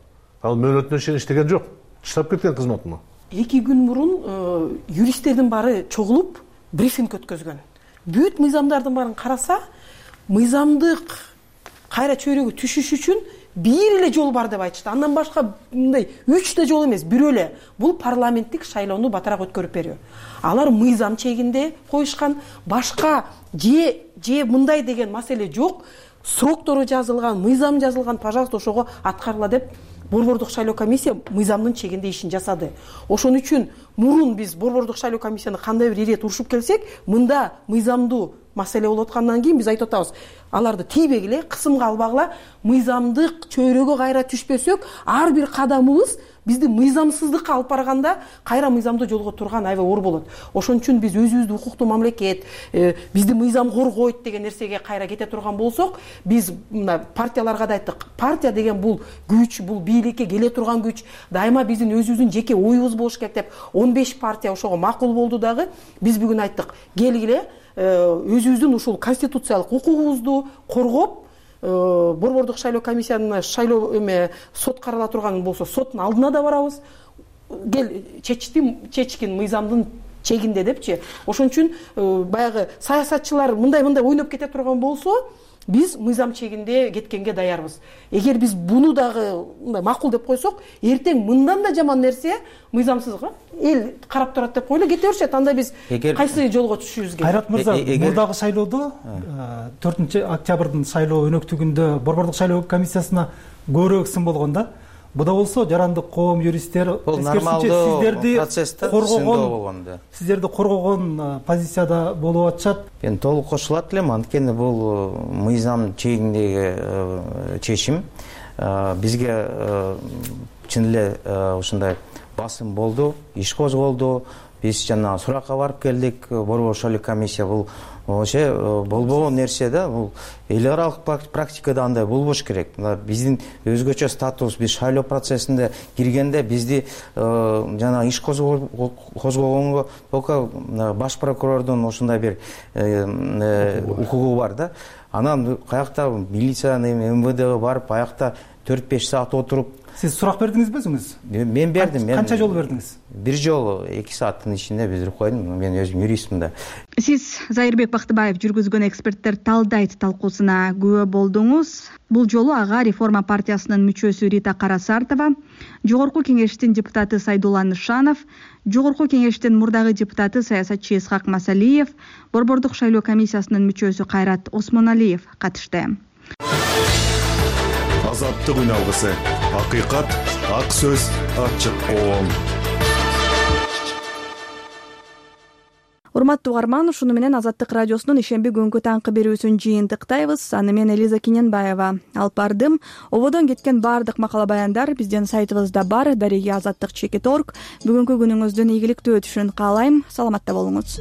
Ал мөөнөтүнө чейин иштеген жок. Таштап кеткен кызматына. 2 күн мурун юристтердин баары чогулуп брифинг өткөзгөн. Бүт мыйзамдардын баарын караса, мыйзамдык кайра чөйрөгө түшүш үчүн бир эле жол бар деп айтышты. Андан башка мындай 3 жол эмес, бирөө эле. Бул парламенттик шайлоону батараак өткөрүп берүү. Алар мыйзам чегинде коюшкан, башка же мындай деген маселе жок. Сроктору жазылган, мыйзам жазылган, пожалуйста, ошого аткарыла деп Борбордук шайлоо комиссия мыйзамдын чегинде ишин жасады. Ошон үчүн мурун биз Борбордук шайлоо комиссияны кандай бир ирет урушуп келсек, мында мыйзамдуу маселе болуп аткандан кийин биз айтып атабыз, аларды тийбегиле, кысымга албагыла, мыйзамдык чөйрөгө кайра түшпөсөк, ар бир кадамыбыз бизди мыйзамсыздыкка алып барганда кайра мыйзамдуу жолго турган аябай оор болот. Ошон үчүн биз өзүбүздү укуктуу мамлекет, бизди мыйзам коргойт деген нерсеге кайра кете турган болсок, биз мына партияларга да айттык. Партия деген бул күч, бул бийликке келе турган күч, дайыма биздин өзүбүздүн жеке оюбуз болуш керек деп 15 партия ошого макул болду дагы. Биз бүгүн айттык, келгиле өзүбүздүн ушул конституциялык укугубузду коргоп, Борбордук шайлоо комиссиянын шайлоо сот карала турган болсо соттун алдына да барабыз. Кел чечкин мыйзамдын чегинде депчи. Ошон үчүн баягы саясатчылар мындай ойноп кете турган болсо, биз мыйзам чегинде кеткенге даярбыз. Эгер биз буну дагы мындай макул деп койсок, эртең мындан да жаман нерсе мыйзамсызга эл карап турат деп койлу, кете беришет. Анда биз кайсы жолго түшүшүбүз керек? Кайрат мырза, мурдагы шайлоодо 4 октябрдын шайлоо өнөктүгүндө Борбордук шайлоо комиссиясына көбүрөөк сын болгон да. Буда болсо жарандык коом, юристтер сиздерди коргогон позицияда болуп атышат. Мен толук кошулат элем, анткени бул мыйзам чегиндеги чечим. Бизге чын эле ушундай басым болду, иш козголду. биз жанагы суракка барып келдик, борбор шайлоо комиссия. Бул вообще болбогон нерсе да. Бул эл аралык практикада андай болбош керек. Биздин өзгөчө статус, биз шайлоо процессинде киргенде бизди жанагы иш козгогонго только баш прокурордун ошондой бир укугу бар да. Анан каякта милициянын МВДге барып, аякта 4-5 саат отуруп. Сиз сурак бердиңизби өзүңүз? Мен бердим. Канча жолу бердиңиз? Бир жолу 2 сааттын ичинде биздирип койдум. Мен өзүм юристмин да. Сиз Зайырбек Бактыбаев жүргүзгөн эксперттер талдайт талкуусуна күбө болдуңуз. Бул жолу ага Реформа партиясынын мүчөсү Рита Карасартова, Жогорку кеңештин депутаты Сайдулла Нышанов, Жогорку кеңештин мурдагы депутаты саясатчы Исхак Масалиев, Борбордук шайлоо комиссиясынын мүчөсү Кайрат Осмоналиев катышты. Азаттык үн алгысы, акыйкат, ак сөз, ачык коом. Урматтуу угарман, ушуну менен Азаттык радиосунун ишемби күнгү таңкы берүүсүн жыйынтыктайбыз. Аны мен Элиза Киненбаева алып бардым. Ободон кеткен баардык макала баяндар биздин сайтыбызда бар. Дареги azattik.org. Бүгүнкү күнүңүздүн ийгиликтүү өтүшүн каалайм. Саламатта болуңуз.